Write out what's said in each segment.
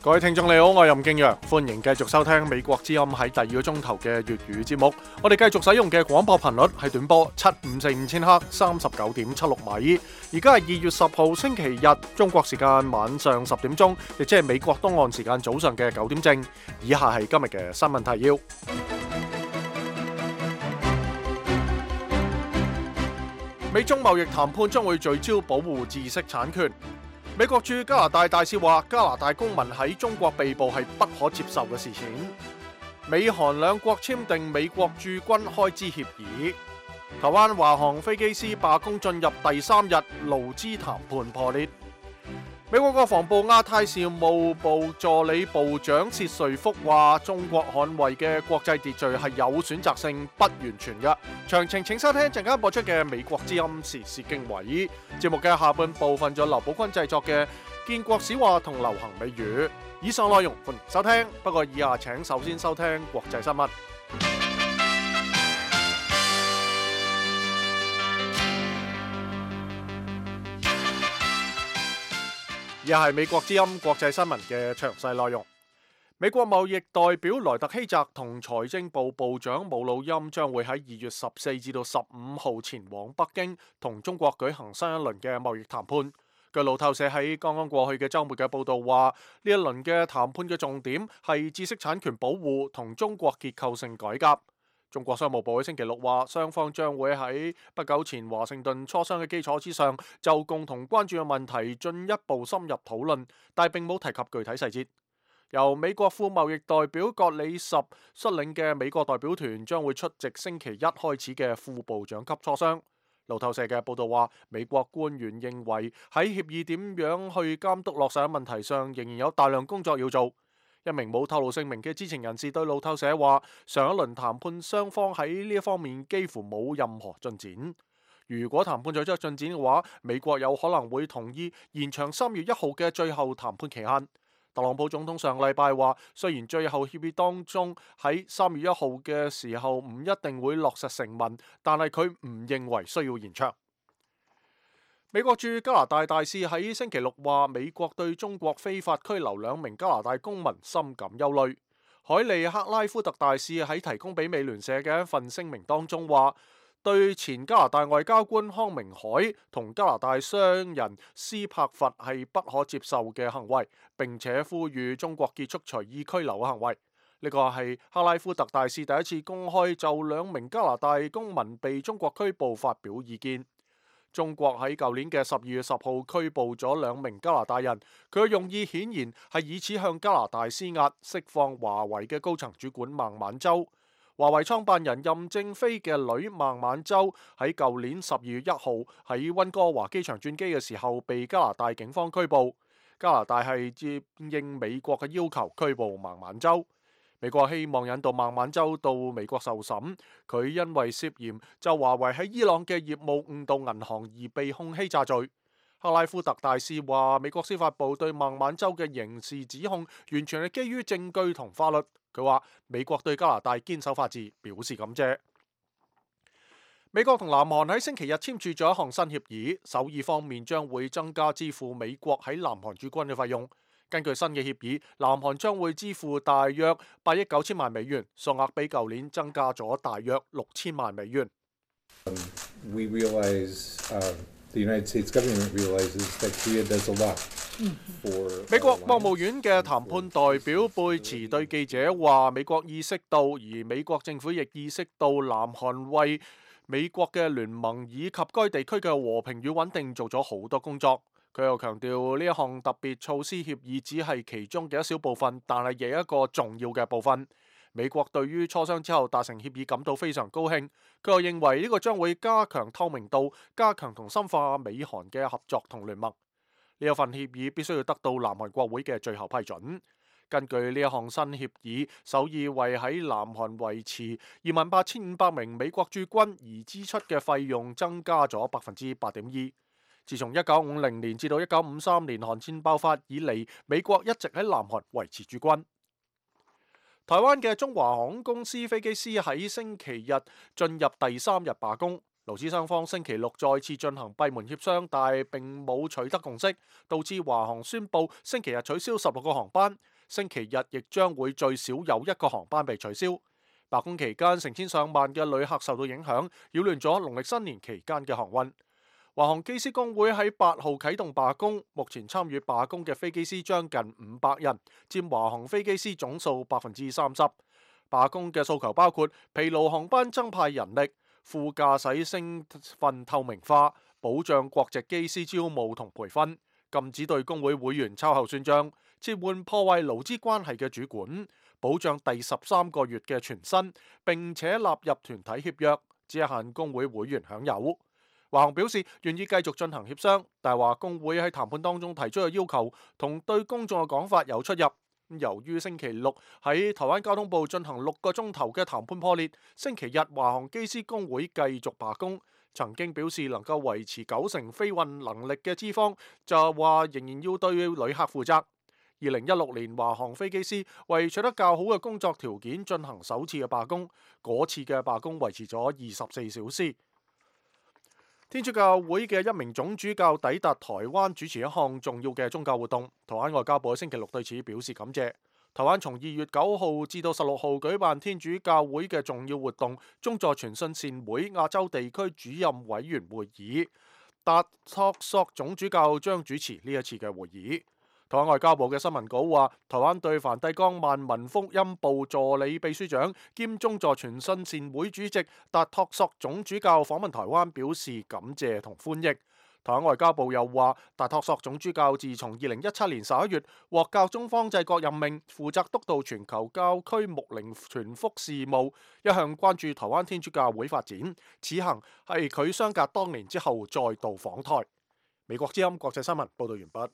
各位聽眾你好，我係任敬陽，歡迎繼續收聽美國之音喺第二個鐘頭嘅粵語節目。我哋繼續使用嘅廣播頻率係短波7545千赫39.76米。而家係2月10號星期日，中國時間晚上10點鐘，亦即係美國東岸時間早上嘅9點正。以下係今日嘅新聞提要。美中貿易談判將會聚焦保護知識產權。美國駐加拿大大使話，加拿大公民喺中國被捕係不可接受嘅事情。美韓兩國簽訂美國駐軍開支協議。台灣華航飛機師罷工進入第3日，勞資談判破裂。美國國防部亞太事務部助理部長薛瑞福話，中國捍衛嘅國際秩序係有選擇性，不完全嘅。詳情請收聽陣間播出嘅美國之音時事經緯。節目嘅下半部分咗劉寶坤製作嘅建國史話同流行美語。以上內容歡迎收聽，不過以下請首先收聽國際新聞。而係美國之音國際新聞嘅詳細內容。美國貿易代表萊特希澤同財政部部長姆努欽將會喺2月14至到15號前往北京，同中國舉行新一輪嘅貿易談判。據路透社喺剛剛過去嘅週末嘅報導話，呢一輪嘅談判嘅重點係知識產權保護同中國結構性改革。中國商務部喺星期六話，雙方將會喺不久前華盛頓磋商嘅基礎之上，就共同關注嘅問題進一步深入討論，但並冇提及具體細節。由美國副貿易代表格里什率領嘅美國代表團將會出席星期一開始嘅副部長級磋商。路透社嘅報導話，美國官員認為喺協議點樣去監督落實嘅問題上，仍然有大量工作要做。一名冇透露姓名嘅知情人士對路透社話，上一輪談判雙方喺呢一方面幾乎冇任何進展。如果談判取得進展嘅話，美國有可能會同意延長3月1號嘅最後談判期限。特朗普總統上禮拜話，雖然最後協議當中喺3月1號嘅時候唔一定會落實成文，但係佢唔認為需要延長。美國駐加拿大大使喺星期六話，美國對中國非法拘留2名加拿大公民深感憂慮。海利克拉夫特大使喺提供俾美聯社嘅一份聲明當中話，對前加拿大外交官康明凱同加拿大商人斯柏佛係不可接受嘅行為，並且呼籲中國結束隨意拘留嘅行為。呢個係克拉夫特大使第一次公開就2名加拿大公民被中國拘捕發表意見。中國喺舊年嘅12月10號拘捕咗2名加拿大人，佢嘅用意顯然係以此向加拿大施壓，釋放華為嘅高層主管孟晚舟。華為創辦人任正非嘅女孟晚舟喺舊年12月1號喺溫哥華機場轉機嘅時候被加拿大警方拘捕。加拿大係接應美國嘅要求拘捕孟晚舟。美國希望引渡孟晚舟到美國受審，佢因為涉嫌就華為喺伊朗嘅業務誤導銀行而被控欺詐罪。克拉夫特大使話，美國司法部對孟晚舟嘅刑事指控完全係基於證據同法律。佢話美國對加拿大堅守法治表示感謝。美國同南韓喺星期日簽署咗一項新協議，首爾方面將會增加支付美國喺南韓駐軍嘅費用。根據新嘅協議，南韓將會支付大約8億9千萬美元，數額比舊年增加咗大約6千萬美元。We realize, the United States government realizes that Korea does a lot for 美國國務院嘅談判代表貝茨對記者話，美國意識到，而美國政府亦意識到南韓為美國嘅聯盟以及該地區嘅和平與穩定做咗好多工作。佢又強調呢一項特別措施協議只係其中嘅一小部分，但係亦一個重要嘅部分。美國對於磋商之後達成協議感到非常高興。佢又認為呢個將會加強透明度，加強同深化美韓嘅合作同聯盟。呢一份協議必須要得到南韓國會嘅最後批准。根據呢一項新協議，首爾為喺南韓維持28,500名美國駐軍而支出嘅費用增加咗8.2%。自從1950年至到1953年韓戰爆發以嚟，美國一直喺南韓維持駐軍。台灣嘅中華航空公司飛機師喺星期日進入第3日罷工，勞資雙方星期六再次進行閉門協商，但並冇取得共識，導致華航宣布星期日取消16個航班。星期日亦將會最少有一個航班被取消。罷工期間，成千上萬嘅旅客受到影響，擾亂咗農曆新年期間嘅航運。華航機師工會喺8號啟動罷工，目前參與罷工嘅飛機師將近500人，佔華航飛機師總數30%。罷工嘅訴求包括疲勞航班增派人力、副駕駛身份透明化、保障國籍機師招募同培訓、禁止對工會會員秋後算賬、撤換破壞勞資關係嘅主管、保障第13個月嘅全薪，並且納入團體協約，只限工會會員享有。華航表示願意繼續進行協商，但係話工會喺談判當中提出嘅要求同對公眾嘅講法有出入。由於星期六喺台灣交通部進行6個鐘頭嘅談判破裂，星期日華航機師工會繼續罷工。曾經表示能夠維持90%飛運能力嘅資方就話仍然要對旅客負責。2016年華航飛機師為取得較好嘅工作條件進行首次嘅罷工，嗰次嘅罷工維持咗24小時。天主教會嘅一名總主教抵達台灣主持一項重要嘅宗教活動，台灣外交部喺星期六對此表示感謝。台灣從2月9號至到16號舉辦天主教會嘅重要活動，宗座傳信善會亞洲地區主任委員會議，達托索總主教將主持呢一次嘅會議。台灣外交部嘅新聞稿話，台灣對梵蒂岡萬民福音部助理秘書長兼宗座傳信善會主席達托索總主教訪問台灣表示感謝同歡迎。台灣外交部又話，達托索總主教自從2017年11月獲教宗方濟各任命，負責督導全球教區牧靈傳福事務，一向關注台灣天主教會發展。此行係佢相隔多年之後再度訪台。美國之音國際新聞報道完畢。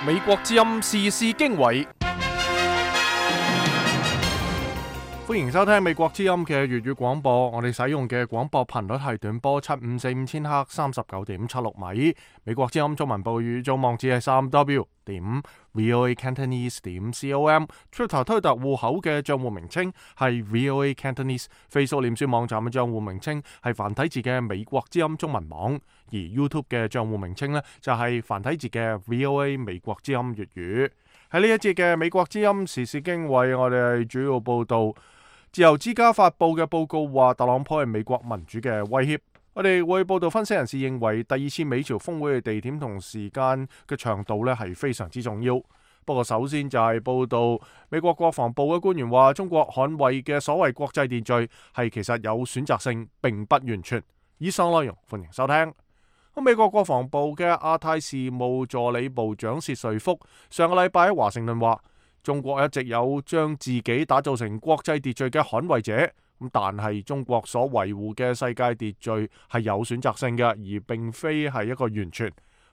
美國之音時事經緯，歡迎收聽美國之音嘅粵語廣播。我哋使用嘅廣播頻率係短波7545千赫39.76米。美國之音中文部語組網址係3w.voacantonese.com。Twitter 推特戶口嘅賬戶名稱係 VOA Cantonese。Facebook 臉書網站嘅賬戶名稱係繁體字嘅美國之音中文網。而 YouTube 嘅賬戶名稱呢，就係繁體字嘅 VOA 美國之音粵語。喺呢一節嘅美國之音時事經緯，我哋係主要報道自由之家發佈嘅報告話，特朗普係美國民主嘅威脅。我哋會報道分析人士認為，第2次美朝峰會嘅地點同時間嘅長度呢係非常之重要。不過首先就係報道美國國防部嘅官員話，中國捍衛嘅所謂國際秩序係其實有選擇性，並不完全。以上內容歡迎收聽。美國國防部嘅亞太事務助理部長薛瑞福上個禮拜喺華盛頓話，中國一直有將自己打造成國際秩序嘅捍衛者，但係中國所維護嘅世界秩序係有選擇性嘅，而並非係一個完全。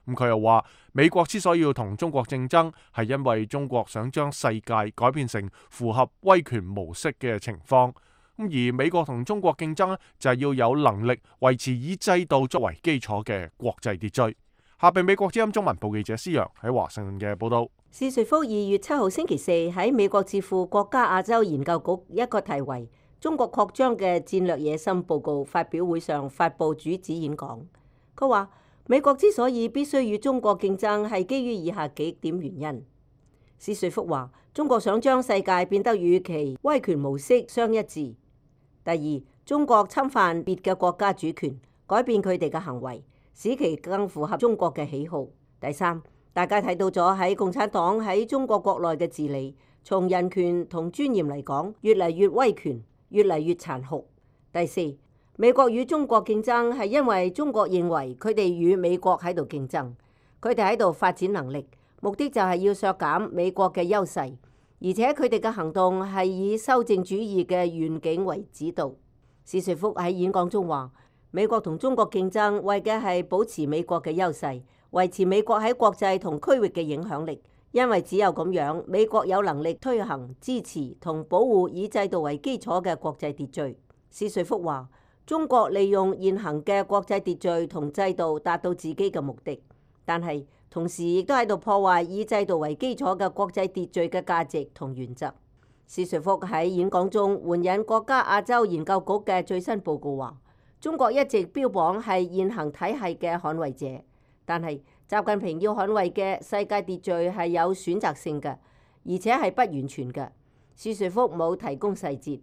佢又話，美國之所以要同中國競爭，係因為中國想將世界改變成符合威權模式嘅情況。而美國同中國競爭呢，就係要有能力維持以制度作為基礎嘅國際秩序。下邊美國之音中文部記者施洋喺華盛頓嘅報道。薛瑞福2月7號星期四喺美國智庫國家亞洲研究局一個題為《中國擴張嘅戰略野心》報告發表會上發佈主旨演講。佢話美國之所以必須與中國競爭，係基於以下幾點原因。薛瑞福話，中國想將世界變得與其威權模式相一致。第二，中國侵犯別嘅國家主權，改變佢哋嘅行為，使其更符合中國嘅喜好。第三，大家睇到咗喺共產黨喺中國國內嘅治理，從人權同尊嚴嚟講，越嚟越威權，越嚟越殘酷。第四，美國與中國競爭係因為中國認為佢哋與美國喺度競爭，佢哋喺度發展能力，目的就係要削減美國嘅優勢。而且佢哋嘅行動係以修正主義嘅願景為指導。薛瑞福喺演講中話，美國同中國競爭為嘅係保持美國嘅優勢，維持美國喺國際同區域嘅影響力。因為只有咁樣，美國有能力推行、支持同保護以制度為基礎嘅國際秩序。薛瑞福話，中國利用現行嘅國際秩序同制度達到自己嘅目的，但係同時亦都喺度破壞以制度為基礎嘅國際秩序嘅價值同原則。薛瑞福喺演講中援引國家亞洲研究局嘅最新報告話，中國一直標榜係現行體系嘅捍衛者，但係習近平要捍衛嘅世界秩序係有選擇性嘅，而且係不完全嘅。史瑞福冇提供細節，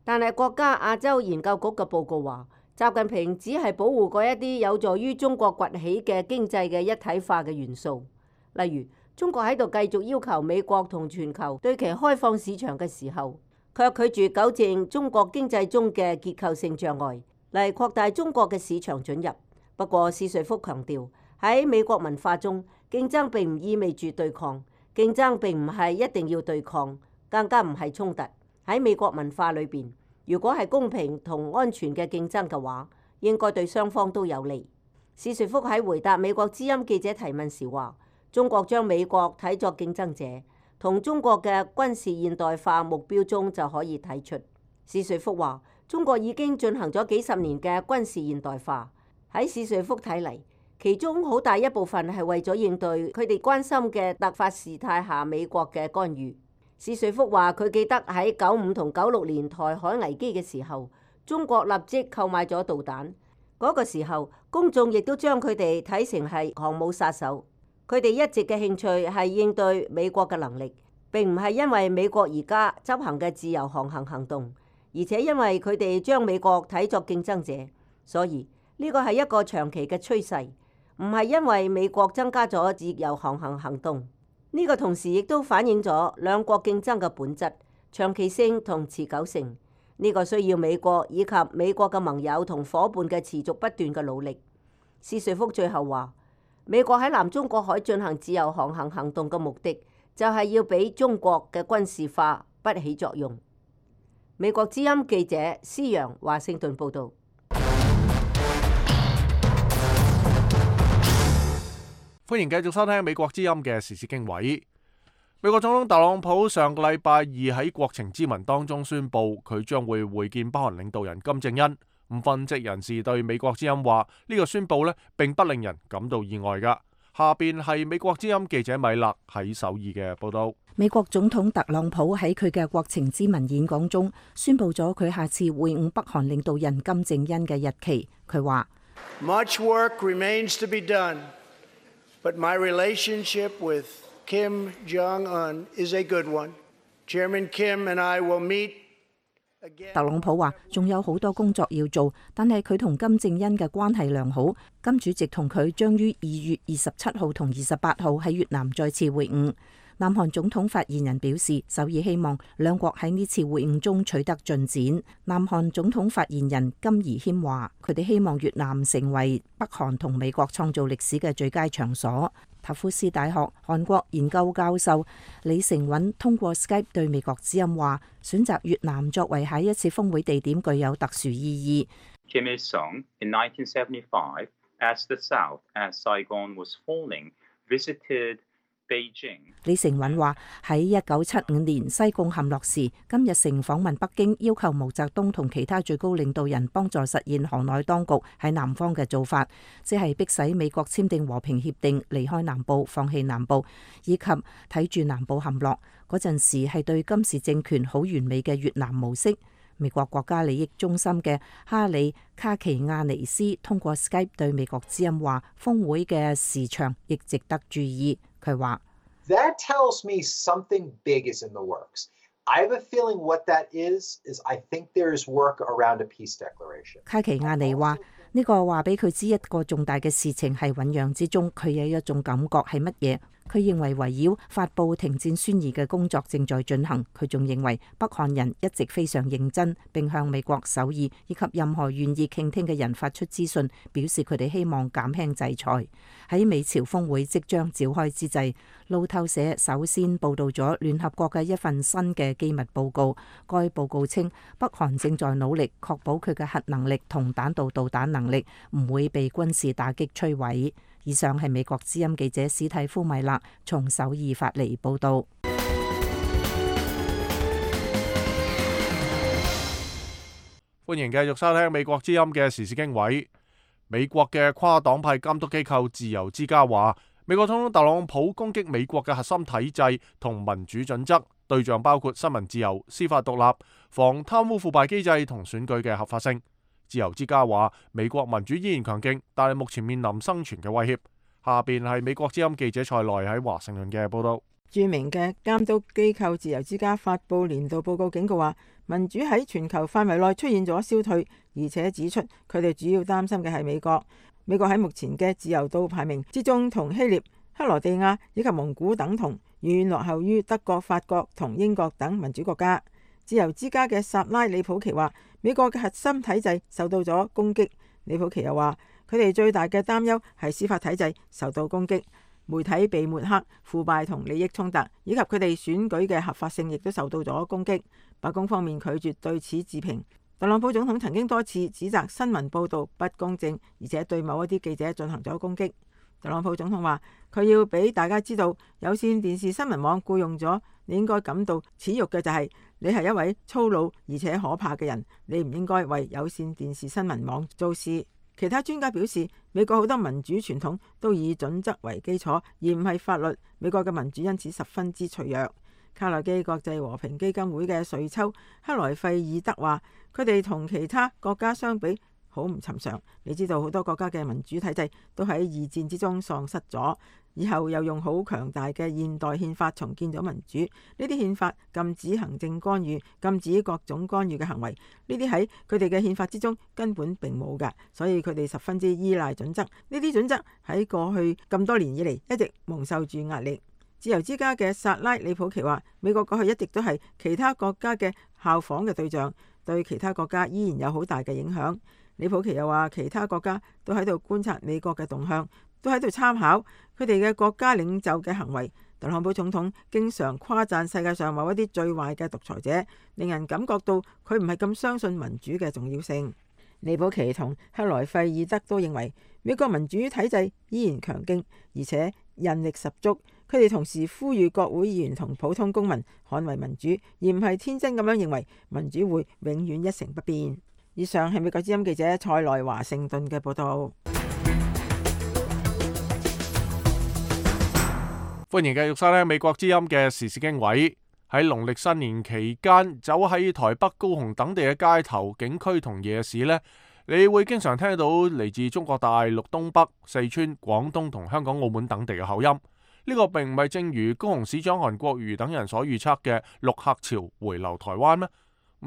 但係國家亞洲研究局嘅報告話，習近平只係保護嗰一啲有助於中國崛起嘅經濟嘅一體化嘅元素，例如中國喺度繼續要求美國同全球對其開放市場嘅時候，卻拒絕糾正中國經濟中嘅結構性障礙，嚟擴大中國嘅市場准入。不過史瑞福強調，喺美國文化中，競爭並唔意味住對抗，競爭並唔係一定要對抗，更加唔係衝突。喺美國文化裏邊，如果係公平同安全嘅競爭嘅話，應該對雙方都有利。史瑞福喺回答美國之音記者提問時話，中國將美國睇作競爭者，同中國嘅軍事現代化目標中就可以睇出。史瑞福話，中國已經進行咗幾十年嘅軍事現代化，喺史瑞福睇嚟，其中好大一部分係為咗應對佢哋關心嘅突發事態下美國嘅干預。史瑞福話，佢記得喺95同96年台海危機嘅時候，中國立即購買咗導彈。嗰個時候，公眾亦都將佢哋睇成係航母殺手。佢哋一直嘅興趣係應對美國嘅能力，並唔係因為美國而家執行嘅自由航行行動，而且因為佢哋將美國睇作競爭者。所以呢個係一個長期嘅趨勢，唔係因為美國增加咗自由航行行動。呢個同時亦都反映咗兩國競爭嘅本質、長期性同持久性。呢個需要美國以及美國嘅盟友同夥伴嘅持續不斷嘅努力。史瑞福最後話，美國喺南中國海進行自由航行行動嘅目的，就係要俾中國嘅軍事化不起作用。美國之音記者施揚華盛頓報導。歡迎繼續收聽美國之音嘅時事經緯。美國總統特朗普上個禮拜二喺國情咨文當中宣布，佢將會會見北韓領導人金正恩。分析人士對美國之音話，呢個宣布並不令人感到意外噶。下邊係美國之音記者米勒喺首爾嘅報道。美國總統特朗普喺佢嘅國情咨文演講中宣布咗佢下次會晤北韓領導人金正恩嘅日期。佢話：Much work remains to be done, but my relationship with Kim Jong-un is a good one. Chairman Kim and I will meet again. 特朗普話仲有好多工作要做，但係佢同金正恩嘅關係良好。金主席同佢將於2月27號同28號喺越南再次會晤。南韓總統發言人表示，首爾希望兩國喺呢次會晤中取得進展。南韓總統發言人金宜謙話，佢哋希望越南成為北韓同美國創造歷史嘅最佳場所。塔夫斯大學韓國研究教授李成允通過 Skype 對美國之音話，選擇越南作為下一次峰會地點具有特殊意義。Kim Il-sung in 1975, as the South as Saigon was falling, visited李成允話喺1975年西貢陷落時，金日成訪問北京，要求毛澤東同其他最高領導人幫助實現河內當局喺南方嘅做法，即係迫使美國簽訂和平協定，離開南部，放棄南部，以及睇住南部陷落。嗰陣時係對金氏政權好完美嘅越南模式。美國國家利益中心嘅哈里卡奇亞尼斯通過 Skype 對美國之音話，峰會嘅時長亦值得注意。佢話：That tells me something big is in the works. I have a feeling what that is I think there is work around a peace declaration. 卡奇亞尼話呢個話俾佢知一個重大嘅事情係醞釀之中，佢有一種感覺係乜嘢？佢認為圍繞發布停戰宣言嘅工作正在進行。佢仲認為北韓人一直非常認真，並向美國、首爾以及任何願意傾聽嘅人發出資訊，表示佢哋希望減輕制裁。喺美朝峰會即將召開之際，路透社首先報導咗聯合國嘅一份新嘅機密報告。該報告稱，北韓正在努力確保佢嘅核能力同彈道導彈能力唔會被軍事打擊摧毀。以上係美國之音記者史蒂夫米勒從首爾發嚟報導。歡迎繼續收聽美國之音嘅時事經緯。美國嘅跨黨派監督機構自由之家話，美國總統特朗普攻擊美國嘅核心體制同民主準則，對象包括新聞自由、司法獨立、防貪污腐敗機制同選舉嘅合法性。自由之家話，美國民主依然強勁，但係目前面臨生存嘅威脅。下邊係美國之音記者蔡內喺華盛頓嘅報道。著名嘅監督機構自由之家發布年度報告警告話，民主喺全球範圍內出現咗消退，而且指出佢哋主要擔心嘅係美國。美國喺目前嘅自由度排名之中，同希臘、克羅地亞以及蒙古等同，遠落後於德國、法國同英國等民主國家。自由之家嘅薩拉里普奇話，美國嘅核心體制受到咗攻擊。里普奇又話，佢哋最大嘅擔憂係司法體制受到攻擊，媒體被抹黑、腐敗同利益衝突，以及佢哋選舉嘅合法性亦都受到咗攻擊。白宮方面拒絕對此置評。特朗普總統曾經多次指責新聞報導不公正，而且對某一啲記者進行咗攻擊。特朗普總統話，佢要俾大家知道，有線電視新聞網僱用咗你應該感到恥辱嘅就係，你係一位粗魯而且可怕嘅人，你唔應該為有線電視新聞網做事。其他專家表示，美國好多民主傳統都以準則為基礎，而唔係法律。美國嘅民主因此十分之脆弱。卡內基國際和平基金會嘅瑞秋克萊費爾德話，佢哋同其他國家相比好唔尋常。你知道好多國家嘅民主體制都喺二戰之中喪失咗，以後又用好強大嘅現代憲法重建咗民主。呢啲憲法禁止行政干預，禁止各種干預嘅行為。呢啲喺佢哋嘅憲法之中根本並冇㗎，所以佢哋十分之依賴準則。呢啲準則喺過去咁多年以嚟一直蒙受住壓力。自由之家嘅薩拉里普奇話，美國過去一直都係其他國家嘅效仿嘅對象，對其他國家依然有好大嘅影響。李普奇又話，其他國家都喺度觀察美國嘅動向，都喺度參考佢哋嘅國家領袖嘅行為。特朗普總統經常誇讚世界上某一啲最壞嘅獨裁者，令人感覺到佢唔係咁相信民主嘅重要性。李普奇同克萊費爾德都認為美國民主體制依然強勁，而且韌力十足。佢哋同時呼籲國會議員同普通公民捍衛民主，而唔係天真咁樣認為民主會永遠一成不變。以上係美國之音記者蔡內華盛頓嘅報道。歡迎繼續收聽美國之音嘅時事經緯。喺農曆新年期間，走喺台北、高雄等地嘅街頭、景區同夜市呢，你會經常聽到嚟自中國大陸東北、四川、廣東同香港、澳門等地嘅口音。呢個並唔係正如高雄市長韓國瑜等人所預測嘅陸客潮回流台灣咩？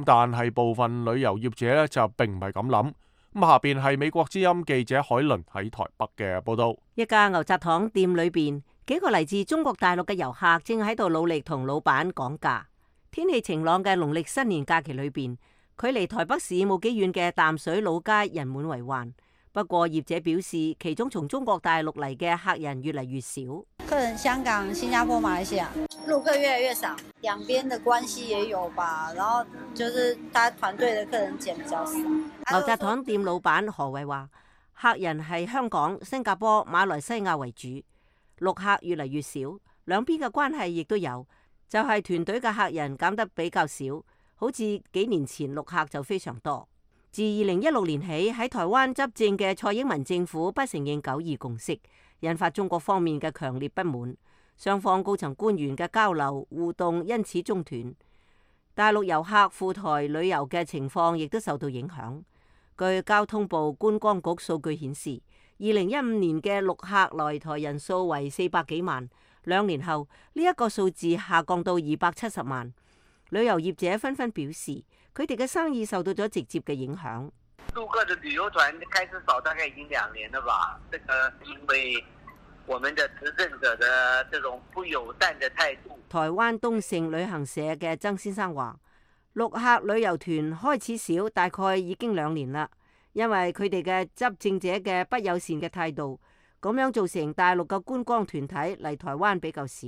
但係部分旅遊業者呢，就並唔係咁諗。下邊係美國之音記者海倫喺台北嘅報道。一家牛軋糖店裏邊，幾個嚟自中國大陸嘅遊客正喺度努力同老闆講價。天氣晴朗嘅農曆新年假期裏邊，距離台北市冇幾遠嘅淡水老街人滿為患。不過業者表示，其中從中國大陸嚟嘅客人越嚟越少。客人香港、新加坡、馬來西亞陸客越來越少，兩邊的關係也有吧。然後就是他團隊的客人減比較少。牛軋糖店老闆何偉話，客人係香港、新加坡、馬來西亞為主，陸客越嚟越少，兩邊嘅關係亦都有，就係團隊嘅客人減得比較少。好似幾年前陸客就非常多。自2016年起，喺台灣執政嘅蔡英文政府不承認九二共識，引發中國方面嘅強烈不滿，雙方高層官員嘅交流互動因此中斷。大陸遊客赴台旅遊嘅情況亦都受到影響。據交通部觀光局數據顯示，2015年嘅陸客來台人數為400幾萬，2年後呢一個數字下降到270萬。旅遊業者紛紛表示，佢哋嘅生意受到咗直接嘅影響。陸客的旅遊團開始少，大概已經2年了吧。這個因為我們的執政者的這種不友善的態度。台灣東盛旅行社嘅曾先生話，陸客旅遊團開始少，大概已經2年啦，因為佢哋嘅執政者嘅不友善嘅態度，咁樣造成大陸嘅觀光團體嚟台灣比較少。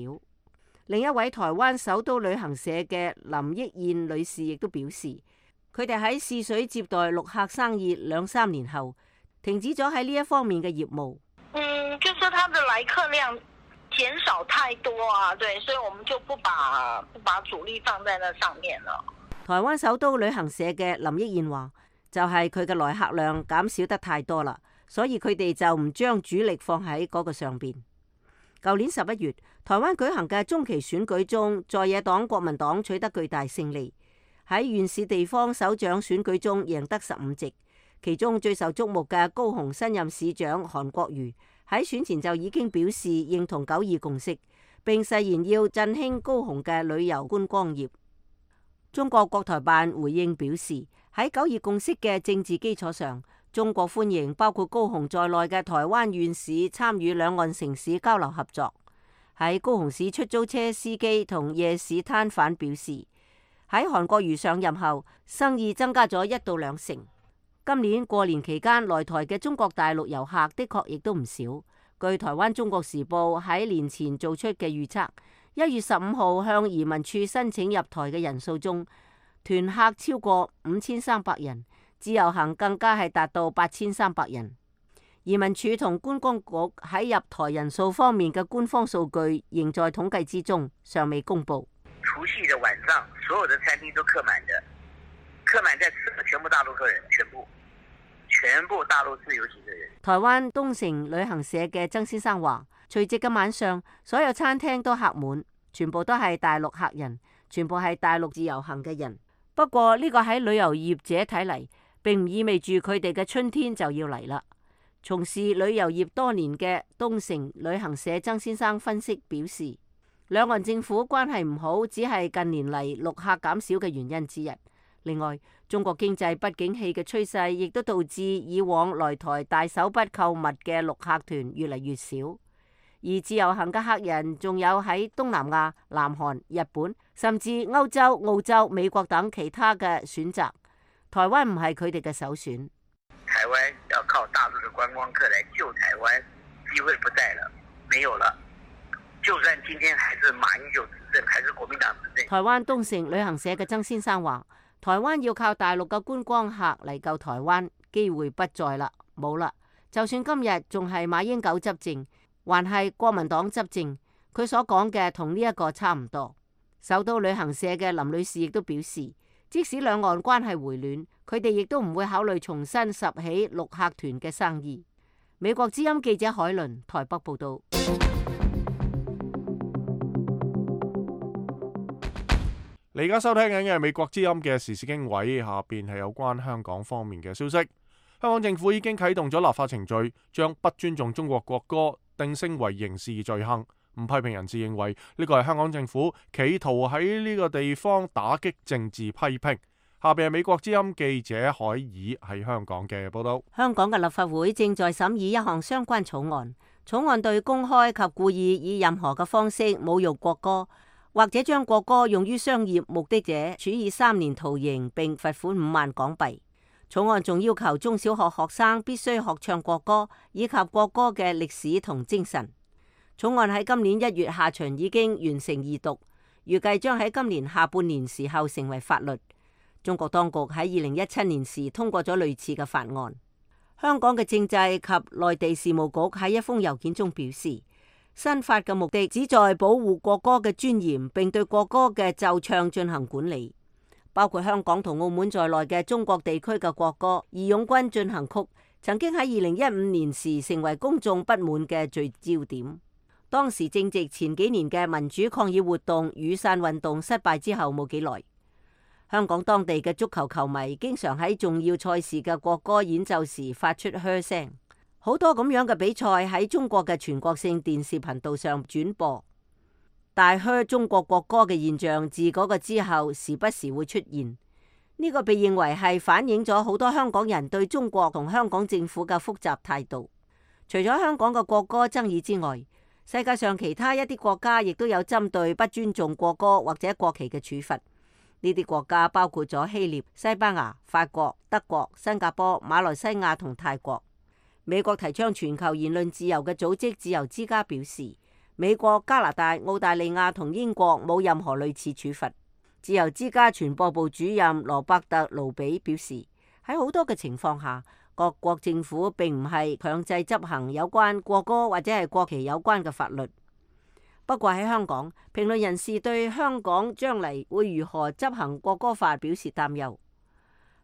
另一位台灣首都旅行社嘅林憶燕女士亦都表示，佢哋喺試水接待陸客生意2-3年後，停止咗喺呢一方面嘅業務。就是他的來客量減少太多啊，對，所以我們就不把主力放在那上面了。台灣首都旅行社嘅林憶燕話，就係佢嘅來客量減少得太多啦，所以佢哋就唔將主力放喺嗰個上邊。舊年11月，台灣舉行嘅中期選舉中，在野黨國民黨取得巨大勝利，喺縣市地方首長選舉中贏得15席，其中最受矚目嘅高雄新任市長韓國瑜喺選前就已經表示認同9·2共識，並誓言要振興高雄嘅旅遊觀光業。中國國台辦回應表示，喺9·2共識嘅政治基礎上，中國歡迎包括高雄在內嘅台灣縣市參與兩岸城市交流合作。喺高雄市出租車司機同夜市攤販表示，喺韓國瑜上任後，生意增加咗1到2成。今年過年期間來台嘅中國大陸遊客的確亦都唔少。據台灣《中國時報》喺年前做出嘅預測，1月15號向移民處申請入台嘅人數中，團客超過5300人，自由行更加係達到8300人。移民署同觀光局喺入台人數方面嘅官方數據仍在統計之中，尚未公布。除夕的晚上，所有的餐廳都客滿的，客滿在吃的全部大陸客人，全部大陸自由行的人。台灣東成旅行社嘅曾先生話，除夕嘅晚上，所有餐廳都客滿，全部都係大陸客人，全部係大陸自由行嘅人。不過呢個喺旅遊業者睇嚟，並唔意味住佢哋嘅春天就要嚟啦。從事旅遊業多年嘅東成旅行社曾先生分析表示，兩岸政府關係唔好，只係近年嚟陸客減少嘅原因之一。另外，中國經濟不景氣嘅趨勢，亦都導致以往來台大手筆購物嘅陸客團越嚟越少。而自由行嘅客人仲有喺東南亞、南韓、日本，甚至歐洲、澳洲、美國等其他嘅選擇。台灣唔係佢哋嘅首選。台灣要靠大陸嘅觀光客來救台灣，機會不在了，沒有了。就算今天還是馬英九執政，還是國民黨執政。台灣東成旅行社嘅曾先生話，台灣要靠大陸嘅觀光客嚟救台灣，機會不在啦，冇啦。就算今日仲係馬英九執政，還係國民黨執政，佢所講嘅同呢一個差唔多。首都旅行社嘅林女士亦都表示，即使兩岸關係回暖，佢哋亦都唔會考慮重新拾起陸客團嘅生意。美國之音記者海倫台北報道。你而家收聽緊嘅係美國之音嘅時事經緯，下邊係有關香港方面嘅消息。香港政府已經啟動咗立法程序，將不尊重中國國歌定性為刑事罪行。唔批評人士認為呢個係香港政府企圖喺呢個地方打擊政治批評。下邊係美國之音記者海爾喺香港嘅報道。香港嘅立法會正在審議一項相關草案，草案對公開及故意以任何嘅方式侮辱國歌，或者將國歌用於商業目的者，處以3年徒刑並罰款5萬港幣。草案仲要求中小學學生必須學唱國歌，以及國歌嘅歷史同精神。草案喺今年1月下旬已經完成二讀，預計將喺今年下半年時候成為法律。中國當局喺2017年時通過咗類似嘅法案。香港嘅政制及內地事務局喺一封郵件中表示，新法嘅目的旨在保護國歌嘅尊嚴，並對國歌嘅奏唱進行管理。包括香港同澳門在內嘅中國地區嘅國歌《義勇軍進行曲》曾經喺2015年時成為公眾不滿嘅聚焦點。當時正值前幾年嘅民主抗議活動雨傘運動失敗之後冇幾耐，香港當地嘅足球球迷經常喺重要賽事嘅國歌演奏時發出噓聲，好多咁樣嘅比賽喺中國嘅全國性電視頻道上轉播。大噓中國國歌嘅現象自嗰個之後時不時會出現，呢個被認為係反映咗好多香港人對中國同香港政府嘅複雜態度。除咗香港嘅國歌爭議之外，世界上其他一啲國家亦都有針對不尊重國歌或者國旗嘅處罰。呢啲國家包括咗希臘、西班牙、法國、德國、新加坡、馬來西亞同泰國。美國提倡全球言論自由嘅組織自由之家表示，美國、加拿大、澳大利亞同英國冇任何類似處罰。自由之家傳播部主任羅伯特盧比表示，喺好多嘅情況下，各國政府並唔係強制執行有關國歌或者係國旗有關嘅法律。不過喺香港，評論人士對香港將嚟會如何執行國歌法表示擔憂。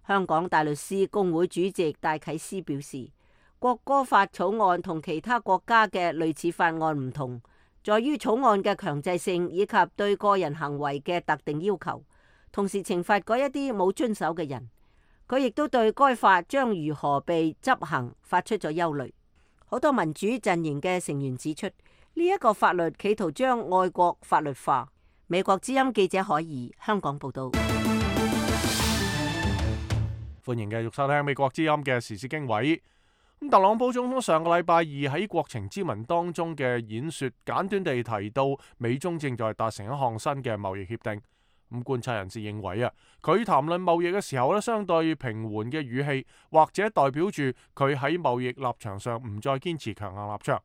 香港大律師公會主席戴啟思表示，國歌法草案同其他國家嘅類似法案唔同，在於草案嘅強制性以及對個人行為嘅特定要求，同時懲罰嗰一啲冇遵守嘅人。佢亦都對該法將如何被執行發出咗憂慮。好多民主陣營嘅成員指出，呢一個法律企圖將愛國法律化。美國之音記者海怡香港報道。歡迎繼續收聽美國之音嘅時事經緯。特朗普總統上個禮拜二喺國情咨文當中嘅演說，簡短地提到美中正在達成一項新嘅貿易協定。觀察人士認為佢談論貿易嘅時候相對平緩嘅語氣，或者代表住佢喺貿易立場上唔再堅持強硬立場。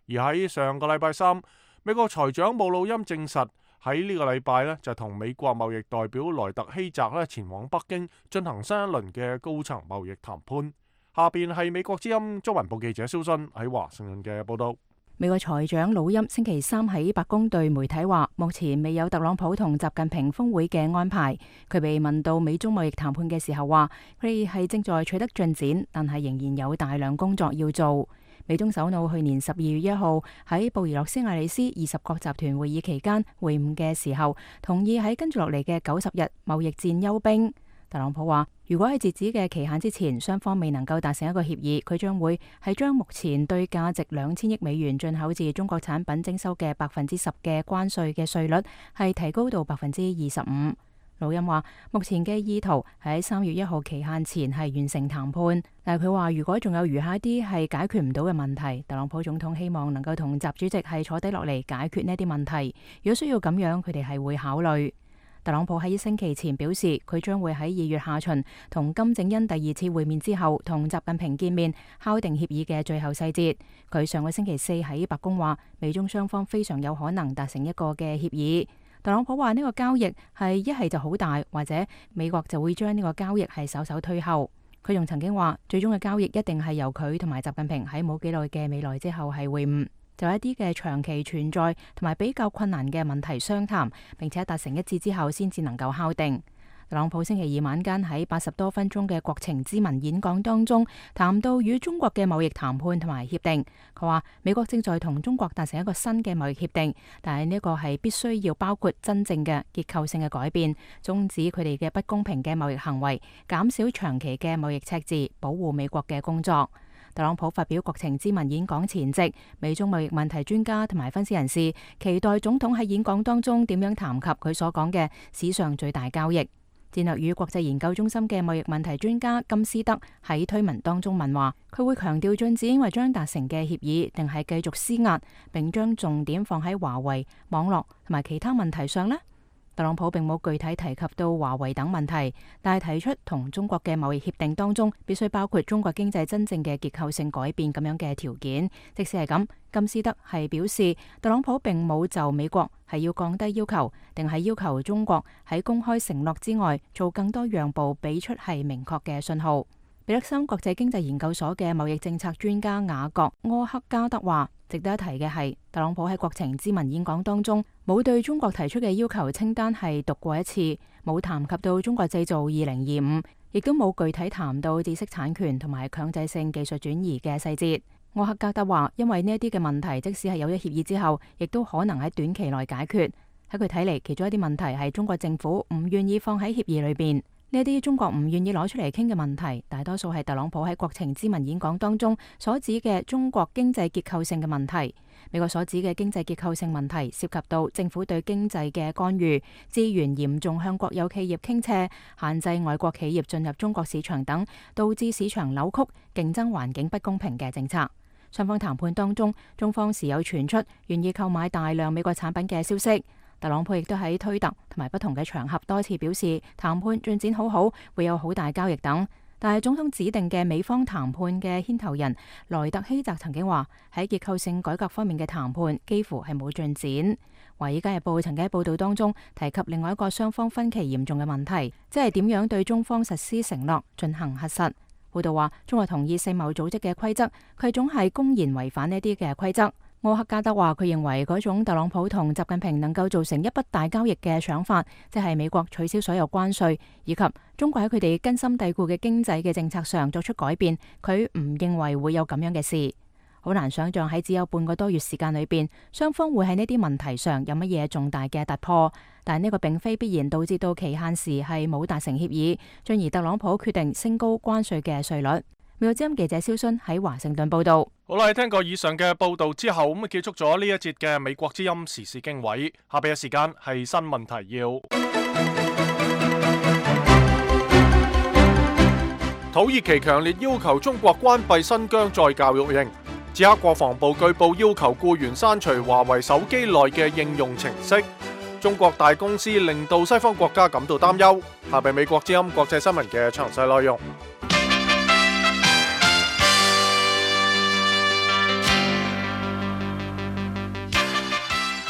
而喺上個禮拜三，美國財長姆努欽證實喺呢個禮拜就同美國貿易代表萊特希澤前往北京進行新一輪嘅高層貿易談判。下邊係美國之音中文部記者蕭sun喺華盛頓嘅報道。美國財長魯欽星期三喺白宮對媒體話，目前未有特朗普同習近平峰會嘅安排。佢被問到美中貿易談判嘅時候話，佢哋係正在取得進展，但係仍然有大量工作要做。美中首腦去年12月1號喺布宜諾斯艾利斯20國集團會議期間會晤嘅時候，同意喺跟住落嚟嘅90日貿易戰休兵。特朗普話，如果喺截止嘅期限之前，雙方未能夠達成一個協議，佢將會係將目前對價值2000億美元進口自中國產品徵收嘅10%嘅關稅嘅稅率係提高到25%。魯欽話，目前嘅意圖喺3月1號期限前係完成談判，但係佢話如果仲有餘下一啲係解決唔到嘅問題，特朗普總統希望能夠同習主席係坐低落嚟解決呢啲問題。如果需要咁樣，佢哋係會考慮。特朗普喺1星期前表示，佢將會喺2月下旬同金正恩第2次會面之後，同習近平見面，敲定協議嘅最後細節。佢上個星期4喺白宮話，美中雙方非常有可能達成一個嘅協議。特朗普話呢個交易係一係就好大，或者美國就會將呢個交易係稍稍推後。佢仲曾經話，最終嘅交易一定係由佢同埋習近平喺冇幾耐嘅未來之後係會晤。就一啲嘅長期存在同埋比較困難嘅問題商談，並且達成一致之後先至能夠敲定。特朗普星期二晚間喺80多分鐘嘅國情咨文演講當中，談到與中國嘅貿易談判同埋協定。佢話美國正在同中國達成一個新嘅貿易協定，但係呢個係必須要包括真正嘅結構性嘅改變，終止佢哋嘅不公平嘅貿易行為，減少長期嘅貿易赤字，保護美國嘅工作。特朗普發表國情咨文演講前夕，美中貿易問題專家同埋分析人士期待總統喺演講當中點樣談及佢所講嘅史上最大交易。戰略與國際研究中心嘅貿易問題專家金斯德喺推文當中問話，佢會強調進展因為將達成嘅協議，定係繼續施壓，並將重點放喺華為、網絡同埋其他問題上呢？特朗普並冇具體提及到華為等問題，但係提出同中國嘅貿易協定當中必須包括中國經濟真正嘅結構性改變咁樣嘅條件。即使係咁，金斯德係表示特朗普並冇就美國係要降低要求，定係要求中國喺公開承諾之外做更多讓步，俾出係明確嘅信號。彼得森國際經濟研究所嘅貿易政策專家雅各柯克加德話，值得一提嘅係，特朗普喺國情咨文演講當中冇對中國提出嘅要求清單係讀過一次，冇談及到中國製造2025，亦都冇具體談到知識產權同埋強制性技術轉移嘅細節。柯克加德話，因為呢一啲嘅問題，即使係有咗協議之後，亦都可能喺短期內解決。喺佢睇嚟，其中一啲問題係中國政府唔願意放喺協議裏邊。呢啲中國唔願意攞出嚟傾嘅問題，大多數係特朗普喺國情咨文演講當中所指嘅中國經濟結構性嘅問題。美國所指嘅經濟結構性問題涉及到政府對經濟嘅干預、資源嚴重向國有企業傾斜、限制外國企業進入中國市場等，導致市場扭曲、競爭環境不公平嘅政策。雙方談判當中，中方時有傳出願意購買大量美國產品嘅消息。特朗普亦都喺推特同埋不同嘅場合多次表示談判進展好好，會有好大交易等。但係總統指定嘅美方談判嘅牽頭人萊特希澤曾經話，喺結構性改革方面嘅談判幾乎係冇進展。華爾街日報曾經喺報道當中提及另外一個雙方分歧嚴重嘅問題，即係點樣對中方實施承諾進行核實。報道話，中國同意世貿組織嘅規則，佢總係公然違反呢啲嘅規則。柯克加德話，佢認為嗰種特朗普同習近平能夠造成一筆大交易嘅想法，即係美國取消所有關稅，以及中國喺佢哋根深蒂固嘅經濟嘅政策上作出改變，佢唔認為會有咁樣嘅事。好難想象喺只有半個多月時間裏邊，雙方會喺呢啲問題上有乜嘢重大嘅突破。但呢個並非必然導致到期限時係冇達成協議，進而特朗普決定升高關稅嘅稅率。美國之音記者蕭순喺華盛頓報道。好啦，聽過以上嘅報道之後，咁結束咗呢一節嘅美國之音時事經緯。下邊嘅時間係新聞提要。土耳其強烈要求中國關閉新疆再教育營。捷克國防部據報要求僱員刪除華為手機內嘅應用程式。中國大公司令到西方國家感到擔憂。下邊美國之音國際新聞嘅詳細內容。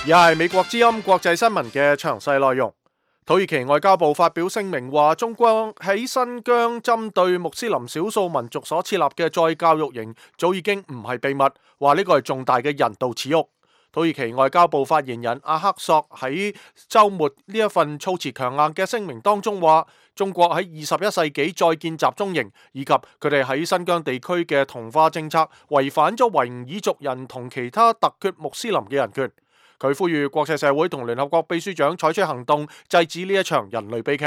而係美國之音國際新聞嘅詳細內容。土耳其外交部發表聲明話，中國喺新疆針對穆斯林少數民族所設立嘅再教育營早已經唔係秘密，話呢個係重大嘅人道恥辱。土耳其外交部發言人阿克索喺週末呢一份措辭強硬嘅聲明當中話，中國喺21世紀再建集中營以及佢哋喺新疆地區嘅同化政策，違反咗維吾爾族人同其他突厥穆斯林嘅人權。佢呼籲國際社會同聯合國秘書長採取行動，制止呢一場人類悲劇。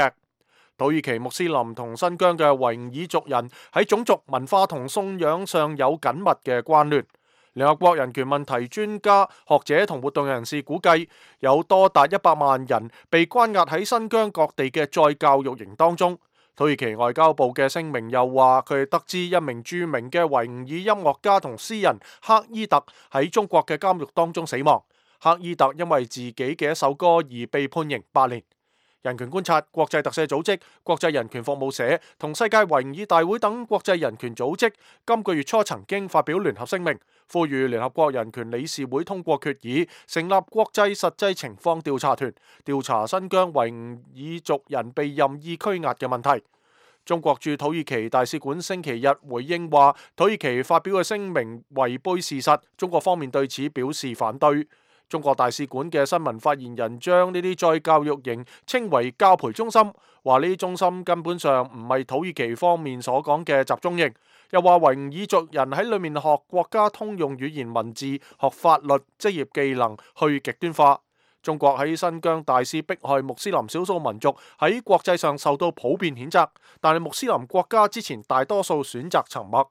土耳其穆斯林同新疆嘅維吾爾族人喺種族、文化同信仰上有緊密嘅關聯。聯合國人權問題專家、學者同活動人士估計，有多達100萬人被關押喺新疆各地嘅再教育營當中。土耳其外交部嘅聲明又話，佢哋得知一名著名嘅維吾爾音樂家同詩人克伊特喺中國嘅監獄當中死亡。克伊特因為自己嘅一首歌而被判刑8年。人權觀察、國際特赦組織、國際人權服務社同世界維吾爾大會等國際人權組織今個月初曾經發表聯合聲明，呼籲聯合國人權理事會通過決議，成立國際實際情況調查團，調查新疆維吾爾族人被任意拘押嘅問題。中國駐土耳其大使館星期日回應話，土耳其發表嘅聲明違背事實，中國方面對此表示反對。中國大使館嘅新聞發言人將呢啲再教育營稱為教培中心，話呢啲中心根本上唔係土耳其方面所講嘅集中營，又話維吾爾族人喺裏面學國家通用語言文字、學法律、職業技能，去極端化。中國喺新疆大肆迫害穆斯林少數民族，喺國際上受到普遍譴責，但係穆斯林國家之前大多數選擇沉默。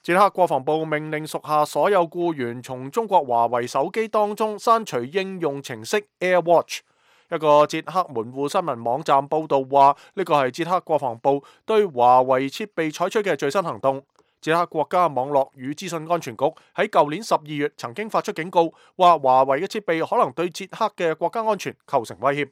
捷克國防部命令屬下所有僱員從中國華為手機當中刪除應用程式 AirWatch。一個捷克門戶新聞網站報道話，呢個係捷克國防部對華為設備採取嘅最新行動。捷克國家網絡與資訊安全局喺舊年12月曾經發出警告，話華為嘅設備可能對捷克嘅國家安全構成威脅。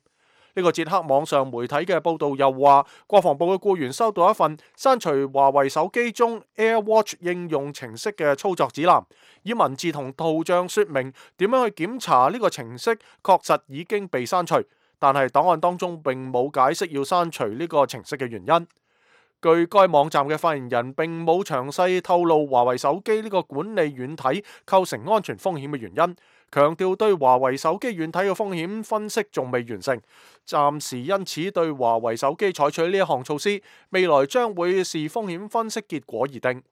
呢個捷克網上媒體嘅報導又話，國防部嘅僱員收到一份刪除華為手機中 AirWatch 應用程式嘅操作指南，以文字同圖像說明點樣去檢查呢個程式確實已經被刪除，但係檔案當中並冇解釋要刪除呢個程式嘅原因。據該網站嘅發言人並冇詳細透露華為手機呢個管理軟體構成安全風險嘅原因，強調對華為手機軟體嘅風險分析仲未完成，暫時因此對華為手機採取呢一項措施，未來將會視風險分析結果而定。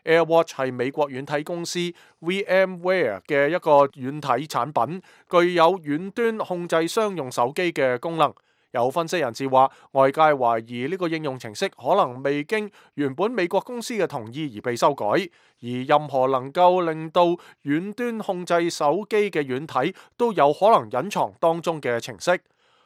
AirWatch 係美國軟體公司 VMware 嘅一個軟體產品，具有遠端控制商用手機嘅功能。有分析人士話，外界懷疑呢個應用程式可能未經原本美國公司嘅同意而被修改，而任何能夠令到遠端控制手機嘅軟體都有可能隱藏當中嘅程式。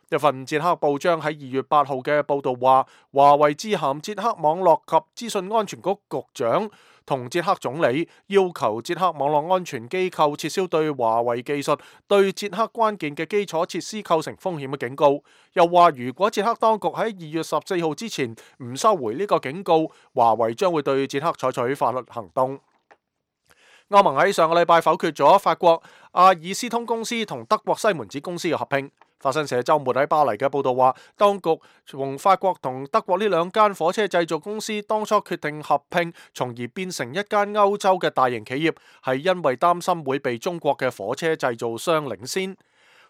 一份捷克報章喺2月8號嘅報導話，華為致函捷克網絡及資訊安全局局長同捷克總理，要求捷克網絡安全機構撤銷對華為技術對捷克關鍵嘅基礎設施構成風險嘅警告。又話如果捷克當局喺2月14號之前唔收回呢個警告，華為將會對捷克採取法律行動。歐盟喺上個禮拜否決咗法國阿爾斯通公司同德國西門子公司嘅合併。法新社週末喺巴黎嘅報導話，當局從法國同德國呢兩間火車製造公司當初決定合併，從而變成一間歐洲嘅大型企業，係因為擔心會被中國嘅火車製造商領先。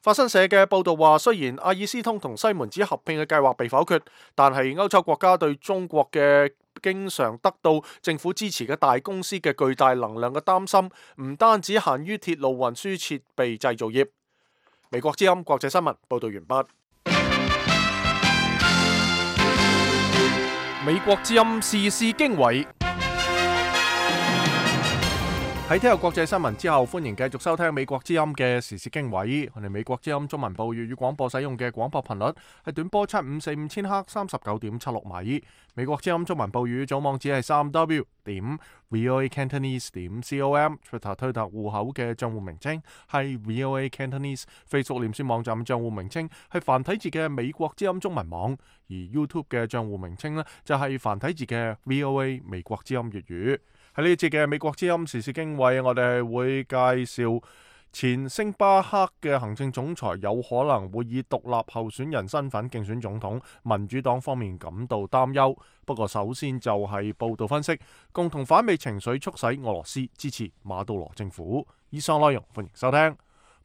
法新社嘅報導話，雖然阿爾斯通同西門子合併嘅計劃被否決，但係歐洲國家對中國嘅經常得到政府支持嘅大公司嘅巨大能量嘅擔心，唔單止限於鐵路運輸設備製造業。美國之音國際新聞報道完畢。美國之音時事經緯。喺聽日國際新聞之後，歡迎繼續收聽美國之音嘅時事經緯。我哋美國之音中文部粵語廣播使用嘅廣播頻率係短波7545千赫39.76米。美國之音中文部粵語總網址係3w.voacantonese.com。Twitter 推特戶口嘅賬戶名稱係 VOA Cantonese。Facebook 臉書網站賬戶名稱係繁體字嘅美國之音中文網，而 YouTube 嘅賬戶名稱呢，就係繁體字嘅 VOA 美國之音粵語。喺呢一節嘅美國之音時事經緯，我哋會介紹前星巴克嘅行政總裁有可能會以獨立候選人身份競選總統，民主黨方面感到擔憂。不過首先就係報道分析，共同反美情緒促使俄羅斯支持馬杜羅政府。以上內容歡迎收聽。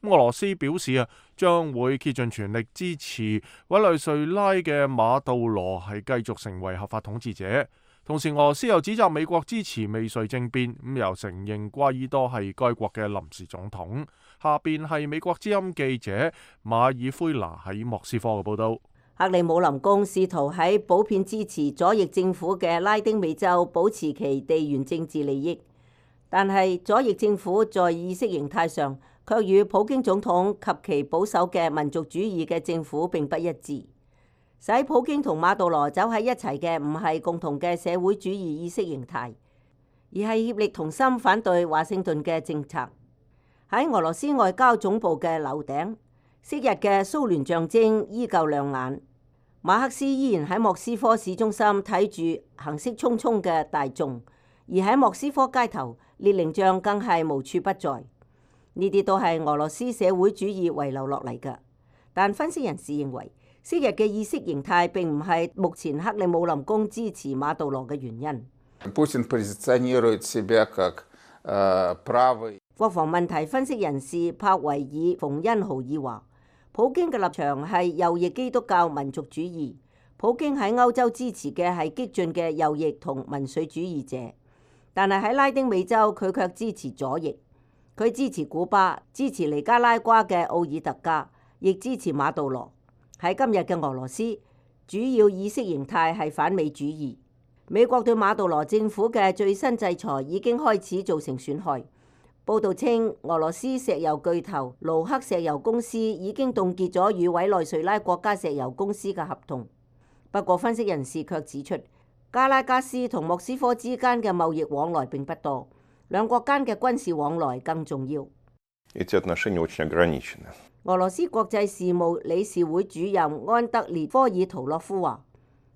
俄羅斯表示將會竭盡全力支持委內瑞拉嘅馬杜羅係繼續成為合法統治者。同時，俄羅斯又指責美國支持未遂政變，又承認瓜伊多係該國嘅臨時總統。下邊係美國之音記者馬爾奎拿喺莫斯科嘅報道。克里姆林宮試圖喺普遍支持左翼政府嘅拉丁美洲保持其地緣政治利益，但係左翼政府在意識形態上卻與普京總統及其保守嘅民族主義嘅政府並不一致。使普京同馬杜羅走喺一齊嘅唔係共同嘅社會主義意識形態，而係協力同心反對華盛頓嘅政策。喺俄羅斯外交總部嘅樓頂，昔日嘅蘇聯象徵依舊亮眼。馬克思依然喺莫斯科市中心睇住行色匆匆嘅大眾，而喺莫斯科街頭，列寧像更係無處不在。呢啲都係俄羅斯社會主義遺留落嚟嘅。但分析人士認為，昔日嘅意識形態並唔係目前克里姆林宮支持馬杜羅嘅原因。國防問題分析人士帕維爾·馮恩豪爾話，普京嘅立場係右翼基督教民族主義。普京喺歐洲支持嘅係激進嘅右翼同民粹主義者，但係喺拉丁美洲佢卻支持左翼。佢支持古巴，支持尼加拉瓜嘅奧爾特加，亦支持馬杜羅。喺今日嘅俄羅斯，主要意識形態係反美主義。美國對馬杜羅政府嘅最新制裁已經開始造成損害。報道稱，俄羅斯石油巨頭盧克石油公司已經凍結咗與委內瑞拉國家石油公司嘅合同。不過，分析人士卻指出，加拉加斯同莫斯科之間嘅貿易往來並不多，兩國間嘅軍事往來更重要。俄羅斯國際事務理事會主任安德烈科爾圖洛夫話，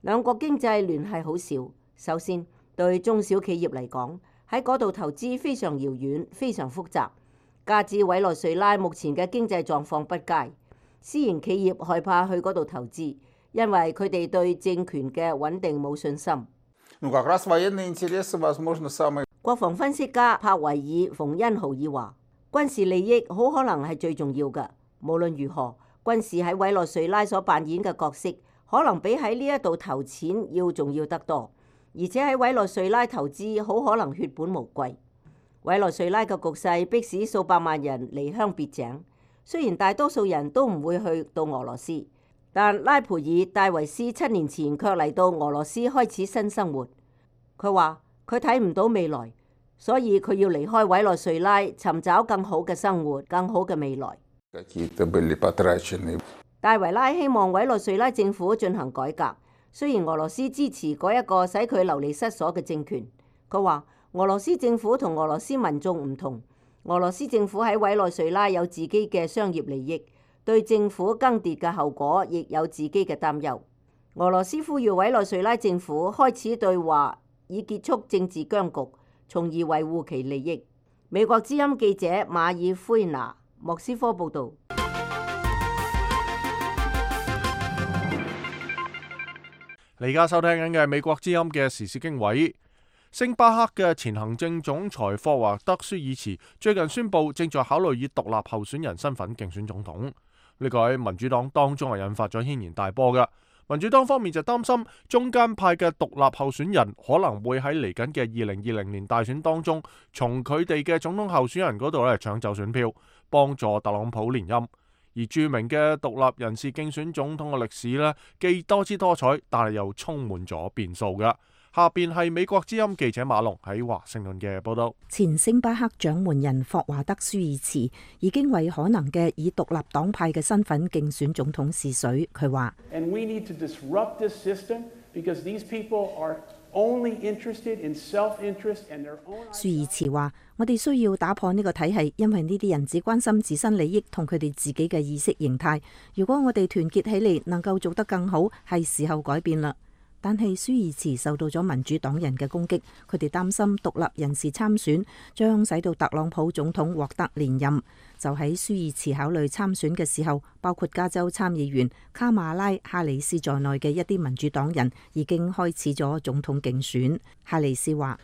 兩國經濟聯繫好少。首先，對中小企業嚟講，喺嗰度投資非常遙遠、非常複雜。加之委內瑞拉目前嘅經濟狀況不佳，私營企業害怕去嗰度投資，因為佢哋對政權嘅穩定冇信心。國防分析家帕維爾·馮恩豪爾話，軍事利益好可能係最重要嘅。無論如何，軍事喺委內瑞拉所扮演嘅角色，可能比喺呢一度投錢要重要得多。而且喺委內瑞拉投資好可能血本無歸。委內瑞拉嘅局勢迫使數百萬人離鄉別井，雖然大多數人都唔會去到俄羅斯，但拉培爾戴維斯7年前卻嚟到俄羅斯開始新生活。佢話佢睇唔到未來，所以佢要離開委內瑞拉，尋找更好嘅生活、更好嘅未來。戴維拉希望委內瑞拉政府進行改革，雖然俄羅斯支持嗰一個使佢流離失所嘅政權。佢話俄羅斯政府同俄羅斯民眾唔同，俄羅斯政府喺委內瑞拉有自己嘅商業利益，對政府更迭嘅後果亦有自己嘅擔憂。俄羅斯呼籲委內瑞拉政府開始對話，以結束政治僵局，從而維護其利益。美國之音記者馬爾奎拿，莫斯科報導。你而家收聽緊嘅係美國之音嘅時事經緯。星巴克嘅前行政總裁霍華德舒爾茨最近宣布正在考慮以獨立候選人身份競選總統。呢個喺民主黨當中係引發咗軒然大波嘅。民主黨方面就擔心中間派嘅獨立候選人可能會喺嚟緊嘅2020年大選當中，從佢哋嘅總統候選人嗰度咧搶走選票，幫助特朗普連任。而著名嘅獨立人士競選總統嘅歷史呢，既多姿多彩，但係又充滿咗變數嘅。下邊係美國之音記者馬龍喺華盛頓嘅報道。前星巴克掌門人霍華德·舒爾茨已經為可能嘅以獨立黨派嘅身份競選總統試水。佢話：舒爾茨話：我哋需要打破呢個體系，因為呢啲人只關心自身利益同佢哋自己嘅意識形態。如果我哋團結起嚟，能夠做得更好，係時候改變啦。但係舒爾茨受到咗民主黨人嘅攻擊，佢哋擔心獨立人士參選將使到特朗普總統獲得連任。就喺舒爾茨考慮參選嘅時候，包括加州參議員卡馬拉·哈里斯在內嘅一啲民主黨人已經開始咗總統競選。哈里斯話：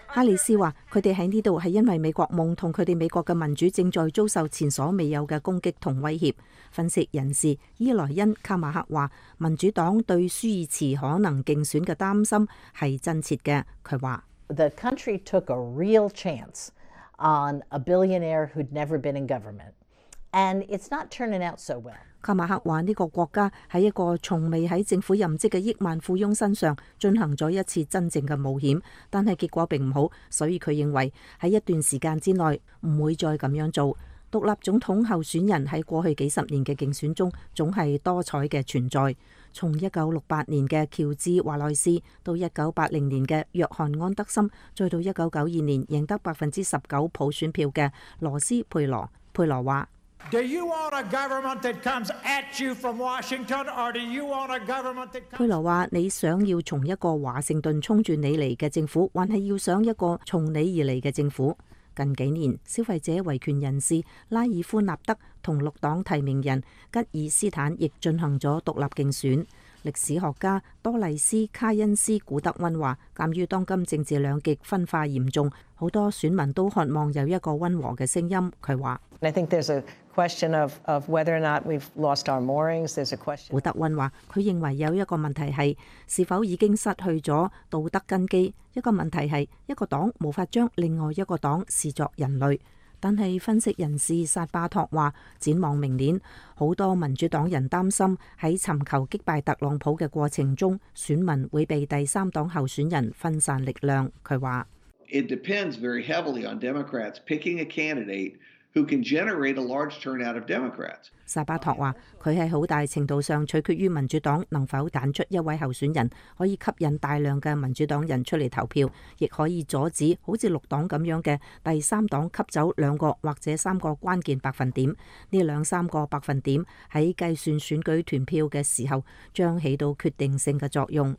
哈里斯話：佢哋喺呢度係因為美國夢同佢哋美國嘅民主正在遭受前所未有嘅攻擊同威脅。分析人士伊萊恩·卡馬克話：民主黨對舒爾茨可能競選嘅擔心係真切嘅。佢話：The country took a real chance on a billionaire who'd never been in government, and it's not turning out so well. 卡馬克話：呢個國家喺一個從未喺政府任職嘅億萬富翁身上進行咗一次真正嘅冒險，但係結果並唔好，所以佢認為喺一段時間之內唔會再咁樣做。獨立總統候選人喺過去幾十年嘅競選中總係多彩嘅存在，從1968年嘅喬治華萊士到1980年嘅約翰安德森，再到1992年贏得19%普選票嘅羅斯佩羅。佩羅話：Do you want a government that comes at you from Washington, or do you want a government that comes... 佩羅話：你想要從一個華盛頓衝住你嚟嘅政府，還係要想一個從你而嚟嘅政府？近幾年，消費者維權人士拉爾夫納德同綠黨提名人吉爾斯坦亦進行咗獨立競選。歷史學家多麗斯卡恩斯古德溫話：鑑於當今政治兩極分化嚴重，好多選民都渴望有一個溫和嘅聲音。佢話：古德溫話：佢認為有一個問題係是否已經失去咗道德根基，一個問題係一個黨無法將另外一個黨視作人類。但係分析人士薩巴托話，展望明年，好多民主黨人擔心喺尋求擊敗特朗普嘅過程中，選民會被第三黨候選人分散力量。佢話：It depends very heavily on Democrats picking a candidate who can generate a large turnout of Democrats. 薩巴托話：佢喺好大程度上取決於民主黨能否揀出一位候選人，可以吸引大量嘅民主黨人出嚟投票，亦可以阻止好似綠黨咁樣嘅第三黨吸走2個或者3個關鍵百分點。呢2-3個百分點喺計算選舉團票嘅時候，將起到決定性嘅作用。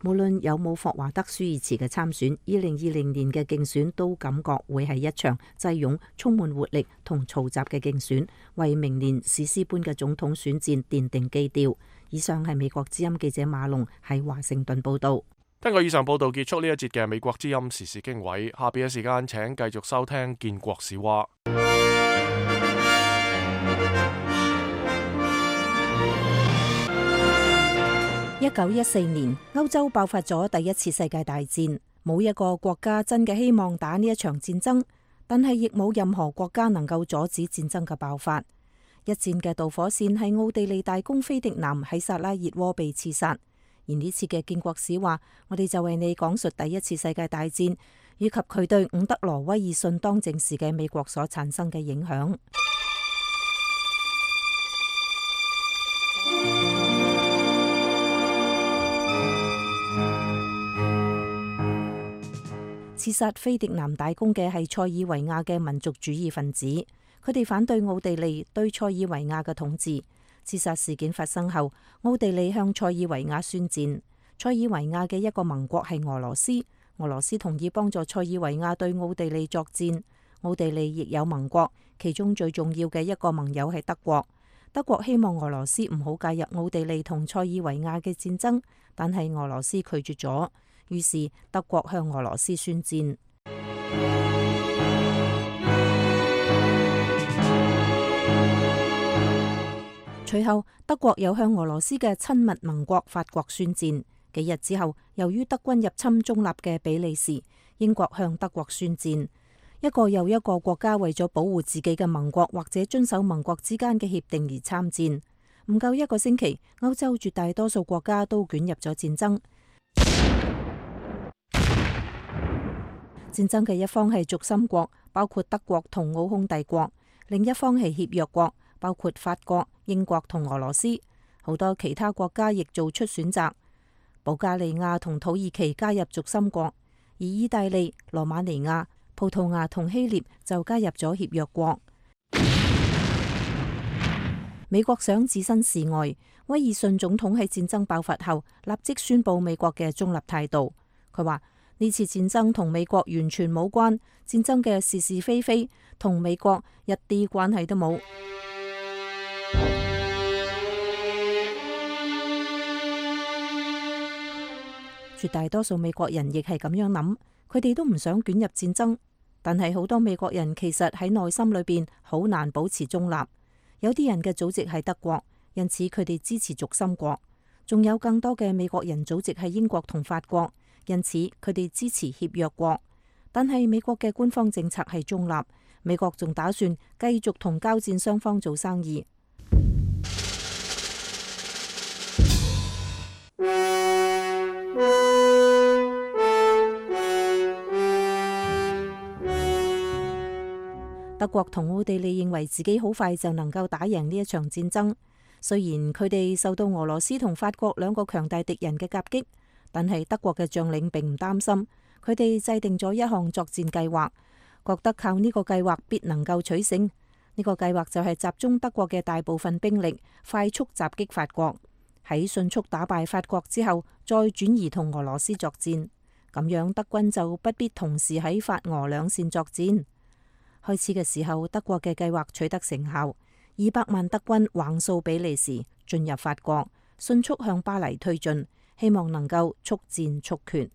無論有冇霍華德舒爾茨嘅參選，2020年嘅競選都感覺會係一場擠擁、充滿活力同嘈雜嘅競選，為明年史詩般嘅總統選戰奠定基調。以上係美國之音記者馬龍喺華盛頓報道。根據以上報道結束呢一節嘅美國之音時事經緯，下邊嘅時間請繼續收聽建國史話。1914年，歐洲爆發咗第一次世界大戰，冇一個國家真嘅希望打呢一場戰爭，但係亦冇任何國家能夠阻止戰爭嘅爆發。一戰嘅導火線係奧地利大公菲迪南喺薩拉熱窩被刺殺。而呢次嘅建國史話，我哋就為你講述第一次世界大戰以及佢對伍德羅威爾遜當政時嘅美國所產生嘅影響。刺殺菲迪南大公嘅係塞爾維亞嘅民族主義分子，佢哋反對奧地利對塞爾維亞嘅統治。刺殺事件發生後，奧地利向塞爾維亞宣戰。塞爾維亞嘅一個盟國係俄羅斯，俄羅斯同意幫助塞爾維亞對奧地利作戰。奧地利亦有盟國，其中最重要嘅一個盟友係德國。德國希望俄羅斯唔好介入奧地利同塞爾維亞嘅戰爭，但係俄羅斯拒絕咗。於是德國向俄羅斯宣戰。隨後，德國又向俄羅斯嘅親密盟國法國宣戰。幾日之後，由於德軍入侵中立嘅比利時，英國向德國宣戰。一個又一個國家為咗保護自己嘅盟國或者遵守盟國之間嘅協定而參戰。唔夠一個星期，歐洲絕大多數國家都捲入咗戰爭。戰爭嘅一方係軸心國，包括德國同奧匈帝國；另一方係協約國，包括法國、英國同俄羅斯。好多其他國家亦做出選擇，保加利亞同土耳其加入軸心國，而意大利、羅馬尼亞、葡萄牙同希臘就加入咗協約國。美國想置身事外，威爾遜總統喺戰爭爆發後立即宣布美國嘅中立態度。佢話呢次戰爭同美國完全冇關，戰爭嘅是是非非同美國一啲關係都冇。絕大多數美國人亦係咁樣諗，佢哋都唔想捲入戰爭，但係好多美國人其實喺內心裏邊好難保持中立。有啲人嘅祖籍係德國，因此佢哋支持軸心國；仲有更多嘅美國人祖籍係英國同法國，因此佢哋支持協約國。但係美國嘅官方政策係中立，美國仲打算繼續同交戰雙方做生意。德國同奧地利認為自己好快就能夠打贏呢一場戰爭，雖然佢哋受到俄羅斯同法國兩個強大敵人嘅夾擊，但係德國嘅將領並唔擔心，佢哋制定咗一項作戰計劃，覺得靠呢個計劃必能夠取勝。呢個計劃就係集中德國嘅大部分兵力，快速襲擊法國，喺迅速打敗法國之後，再轉移同俄羅斯作戰，咁樣德軍就不必同時喺法俄兩線作戰。開始嘅時候，德國嘅計劃取得成效，200萬德軍橫掃比利時，進入法國，迅速向巴黎推進，希望能夠速戰速決。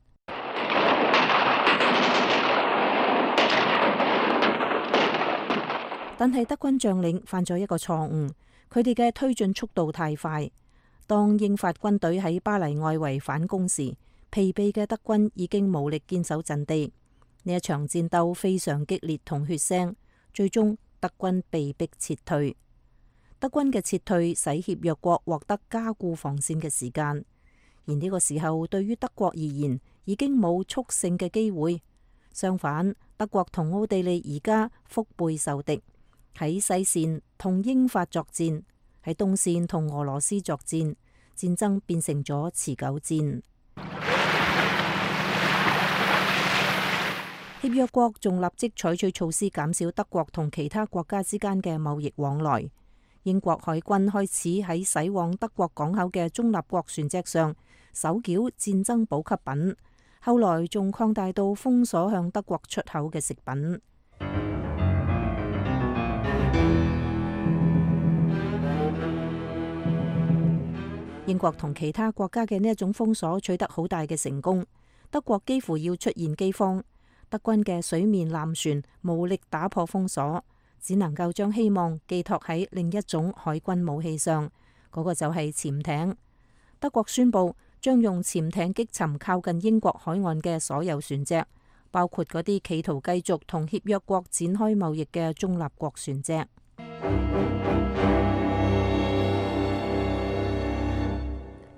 但係德軍將領犯咗一個錯誤，佢哋嘅推進速度太快。當英法軍隊喺巴黎外圍反攻時，疲憊嘅德軍已經無力堅守陣地。呢一場戰鬥非常激烈同血腥，最終德軍被迫撤退。德軍嘅撤退使協約國獲得加固防線嘅時間，而呢個時候對於德國而言已經冇速勝嘅機會。相反，德國同奧地利而家腹背受敵，喺西線同英法作戰，喺東線同俄羅斯作戰，戰爭變成咗持久戰。協約國仲立即採取措施減少德國同其他國家之間嘅貿易往來。英國海軍開始喺駛往德國港口嘅中立國船隻上搜繳戰爭補給品，後來仲擴大到封鎖向德國出口嘅食品。英國同其他國家嘅呢一種封鎖取得好大嘅成功，德國幾乎要出現饑荒。德軍嘅水面艦船無力打破封鎖，只能夠將希望寄託喺另一種海軍武器上，嗰個就係潛艇。德國宣布將用潛艇擊沉靠近英國海岸嘅所有船隻，包括嗰啲企圖繼續同協約國展開貿易嘅中立國船隻。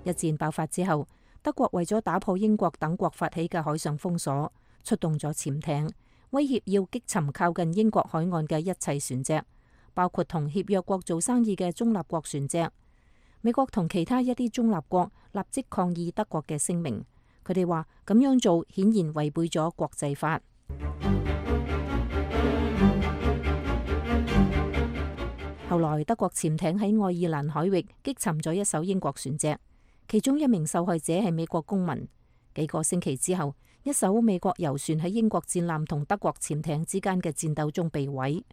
一戰爆發之後，德國為咗打破英國等國發起嘅海上封鎖，出動咗潛艇，威脅要擊沉靠近英國海岸嘅一切船隻，包括同協約國做生意嘅中立國船隻。美國同其他一啲中立國立即抗議德國嘅聲明，佢哋話咁樣做顯然違背咗國際法。後來德國潛艇喺愛爾蘭海域擊沉咗一艘英國船隻，其中一名受害者係美國公民。幾個星期之後，一艘美國遊船喺英國戰艦同德國潛艇之間嘅戰鬥中被毀。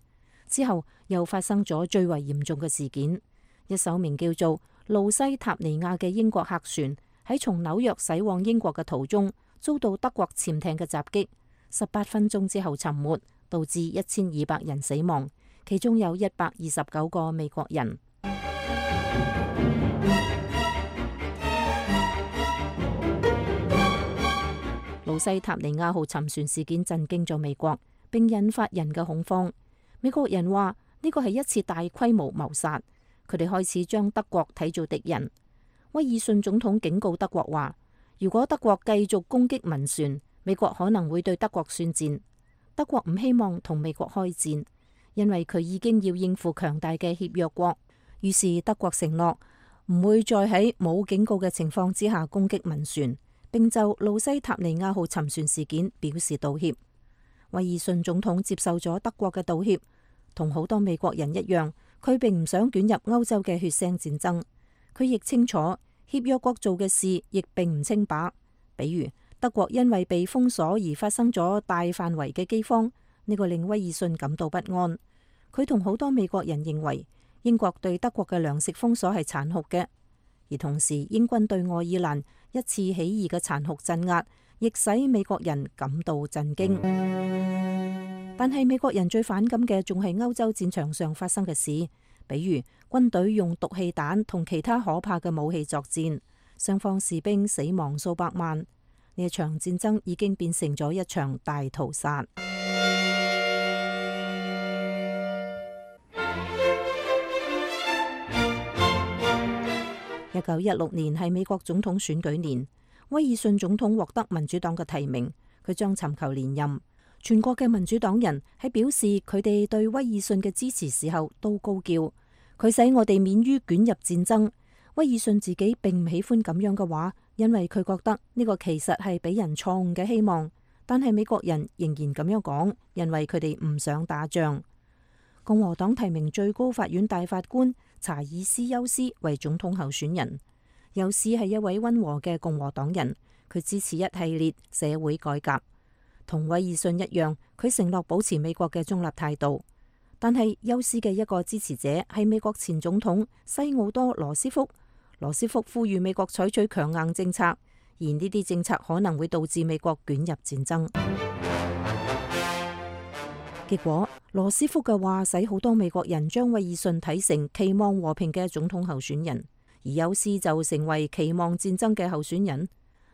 之後又發生咗最為嚴重嘅事件，一艘名叫做路西塔尼亞嘅英國客船喺從紐約駛往英國嘅途中遭到德國潛艇嘅襲擊，18分鐘之後沉沒，導致1200人死亡，其中有129個美國人。路西塔尼亞號沉船事件震驚咗美國，並引發人嘅恐慌。美國人話呢個係一次大規模謀殺，佢哋開始將德國睇做敵人。威爾遜總統警告德國話，如果德國繼續攻擊民船，美國可能會對德國宣戰。德國唔希望同美國開戰，因為佢已經要應付強大嘅協約國。於是德國承諾唔會再喺冇警告嘅情況之下攻擊民船，並就路西塔尼亞號沉船事件表示道歉。威爾遜總統接受咗德國嘅道歉，同好多美國人一樣，佢並唔想捲入歐洲嘅血腥戰爭。佢亦清楚協約國做嘅事亦並唔清白，比如德國因為被封鎖而發生咗大範圍嘅饑荒，呢個令威爾遜感到不安。佢同好多美國人認為英國對德國嘅糧食封鎖係殘酷嘅，而同時英軍對愛爾蘭一次起義嘅殘酷鎮壓，亦使美國人感到震驚。但係美國人最反感嘅仲係歐洲戰場上發生嘅事，比如軍隊用毒氣彈同其他可怕嘅武器作戰，雙方士兵死亡數百萬。呢一場戰爭已經變成咗一場大屠殺。1916年係美國總統選舉年，威爾遜總統獲得民主黨嘅提名，佢將尋求連任。全國嘅民主黨人喺表示佢哋對威爾遜嘅支持時候都高叫，佢使我哋免於捲入戰爭。威爾遜自己並唔喜歡咁樣嘅話，因為佢覺得呢個其實係俾人錯誤嘅希望。但係美國人仍然咁樣講，因為佢哋唔想打仗。共和黨提名最高法院大法官查爾斯休斯為總統候選人。休斯係一位溫和嘅共和黨人，佢支持一系列社會改革。同威爾遜一樣，佢承諾保持美國嘅中立態度。但係休斯嘅一個支持者係美國前總統西奧多羅斯福。羅斯福呼籲美國採取強硬政策，而呢啲政策可能會導致美國捲入戰爭。結果，羅斯福嘅話使好多美國人將威爾遜睇成期望和平嘅總統候選人，而休斯就成為期望戰爭嘅候選人。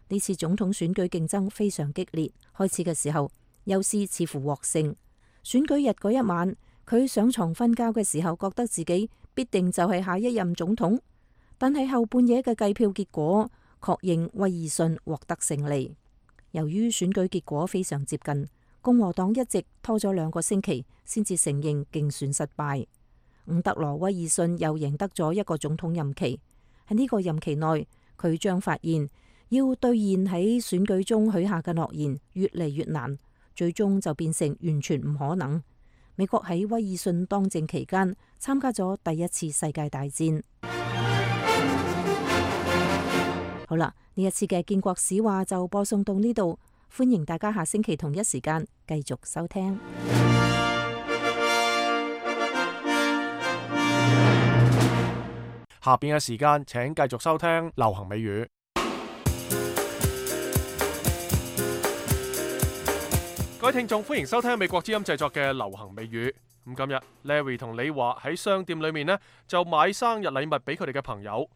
呢次總統選舉競爭非常激烈，開始嘅時候，休斯似乎獲勝。選舉日嗰一晚，佢上床瞓覺嘅時候，覺得自己必定就係下一任總統。但係後半夜嘅計票結果確認威爾遜獲得勝利。由於選舉結果非常接近，共和黨一直拖咗2個星期先至承認競選失敗。伍德羅威爾遜又贏得咗一個總統任期。喺呢個任期內，佢將發現要兌現喺選舉中許下嘅諾言越嚟越難，最終就變成完全唔可能。美國喺威爾遜當政期間參加咗第一次世界大戰。好啦，呢一次嘅建國史話就播送到呢度，歡迎大家下星期同一時間繼續收聽。下邊嘅時間請繼續收聽流行美語。各位聽眾，歡迎收聽美國之音製作嘅流行美語。咁今日 Larry 同李華喺商店裏面呢，就買生日禮物俾佢哋嘅朋友。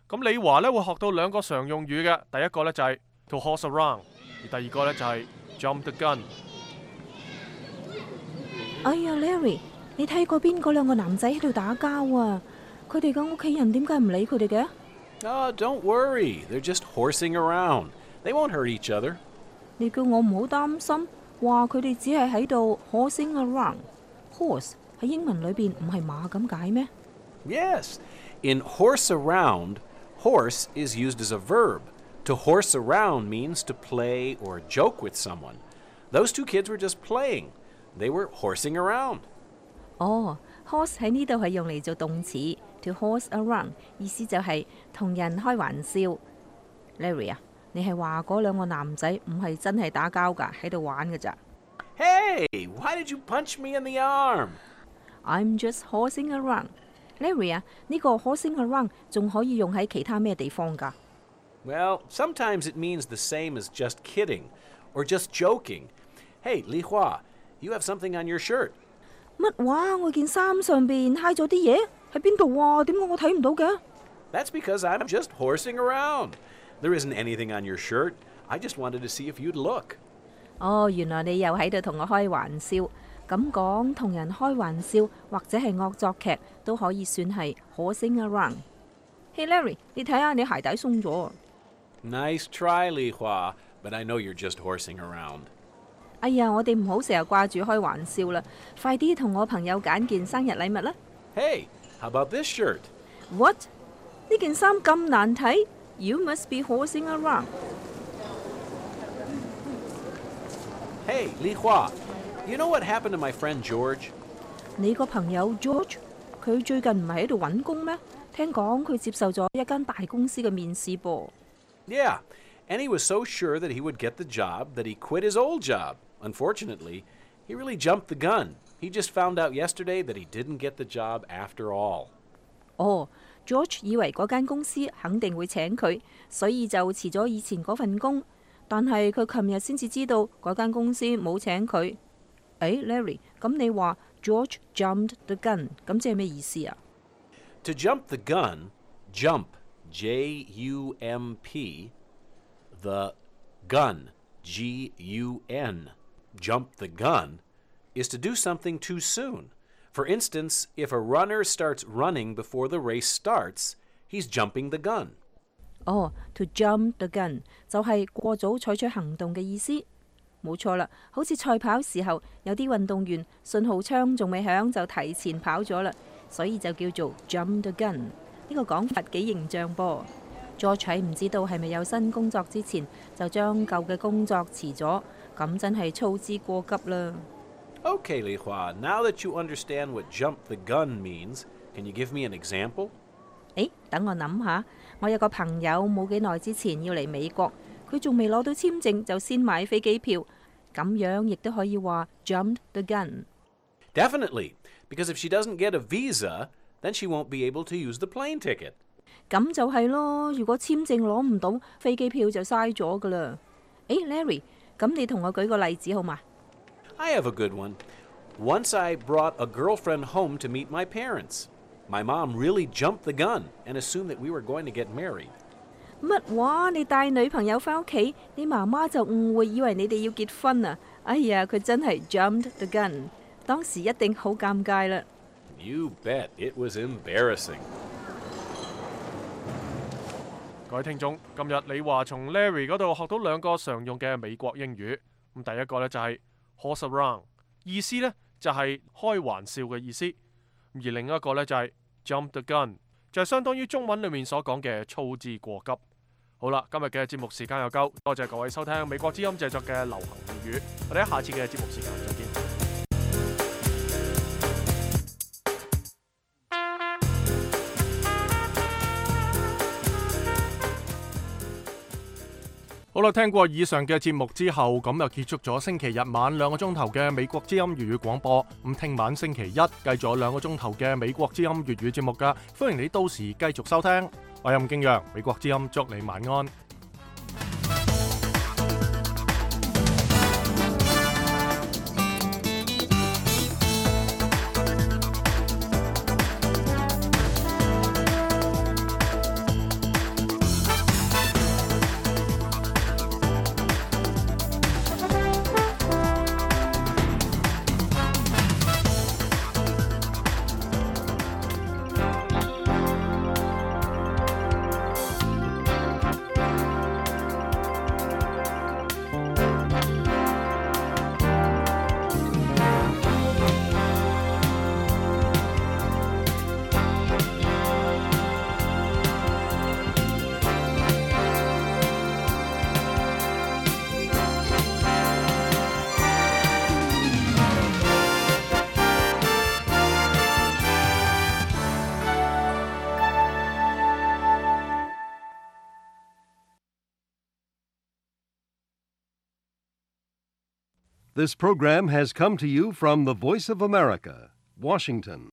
咁李華呢會學到2個常用語嘅，第一個呢就係 to horse around， 而第二個呢就係 jump the gun。哎呀 ，Larry， 你睇過邊嗰2個男仔喺度打交啊？佢哋嘅屋企人點解唔理佢哋嘅？Don't worry, they're just horsing around. They won't hurt each other. 你叫我唔好擔心，話佢哋只係喺度 horsing around。horse 喺英文裏邊唔係馬咁解咩？ Yes, in horse around.Horse is used as a verb. To horse around means to play or joke with someone. Those 2 kids were just playing. They were horsing around. horse 喺呢度係用嚟做動詞 to horse around， 意思就係同人開玩笑。Larry 啊，你係話嗰2個男仔唔係真係打交㗎，喺度玩㗎咋？ Hey, why did you punch me in the arm? I'm just horsing around.Larry 啊，呢個 horsing around 仲可以用喺其他咩地方㗎？ Well, sometimes it means the same as just kidding or just joking. Hey, Li Hua, you have something on your shirt. 乜話？我件衫上邊揩咗啲嘢，喺邊度啊？點解我睇唔到嘅？ That's because I'm just horsing around. There isn't anything on your shirt. I just wanted to see if you'd look. 原來你又喺度同我開玩笑。咁講，同人開玩笑或者係惡作劇都可以算係 horsing around。Hey Larry， 你睇下你鞋帶鬆咗。Nice try, Li Hua, but I know you're just horsing around. 哎呀，我哋唔好成日掛住開玩笑啦，快啲同我朋友揀件生日禮物啦。Hey, how about this shirt? What？ 呢件衫咁難睇 ？You must be horsing around。Hey, Li Hua, you know what happened to my friend George? 你個朋友 George， 佢最近唔係喺度揾工咩？聽講佢接受咗一間大公司嘅面試噃。Yeah, and he was so sure that he would get the job that he quit his old job. Unfortunately, he really jumped the gun. He just found out yesterday that he didn't get the job after all. 哦，George 以為嗰間公司肯定會請佢，所以就辭咗以前嗰份工。但係佢琴日先至知道嗰間公司冇請佢。誒 Larry， 咁你話 George jumped the gun， 咁即係咩意思啊？ To jump the gun, jump, J-U-M-P, the gun, G-U-N. Jump the gun is to do something too soon. For instance, if a runner starts running before the race starts, he's jumping the gun. 哦 to jump the gun 就係過早採取行動嘅意思。冇錯啦，好似賽跑時候，有啲運動員信號槍仲未響就提前跑咗啦，所以就叫做 jump the gun。呢個講法幾形象噃。George 喺唔知道係咪有新工作之前，就將舊嘅工作辭咗，咁真係操之過急啦。Okay, Li Hua, now that you understand what jump the gun means, can you give me an example? 誒，等我諗下，我有個朋友冇幾耐之前要嚟美國，佢仲未攞到簽證就先買飛機票，咁樣亦都可以話 jumped the gun。Definitely, because if she doesn't get a visa, then she won't be able to use the plane ticket. 咁就係咯，如果簽證攞唔到，飛機票就嘥咗噶啦。誒 Larry， 咁你同我舉個例子好嘛？ I have a good one. Once I brought a girlfriend home to meet my parents. My mom really jumped the gun and assumed that we were going to get married. 乜話？你帶女朋友返屋企，你媽媽就誤會以為你哋要結婚啊！哎呀，佢真係 jumped the gun， 當時一定好尷尬啦。You bet it was embarrassing. 各位聽眾，今日你話從 Larry 嗰度學到兩個常用嘅美國英語。咁第一個呢就係 horse around， 意思呢就係開玩笑嘅意思。而另一個呢就係 jump the gun， 就係相當於中文裏面所講嘅操之過急。好啦，今日嘅節目時間又夠，多謝各位收聽美國之音製作嘅流行粵語，我哋喺下次嘅節目時間再見。好啦，聽過以上嘅節目之後，咁就結束咗星期日晚2個鐘頭嘅美國之音粵語廣播。咁聽晚星期一繼續有2個鐘頭嘅美國之音粵語節目㗎，歡迎你到時繼續收聽。我係吳敬陽，美國之音祝你晚安。This program has come to you from the Voice of America, Washington.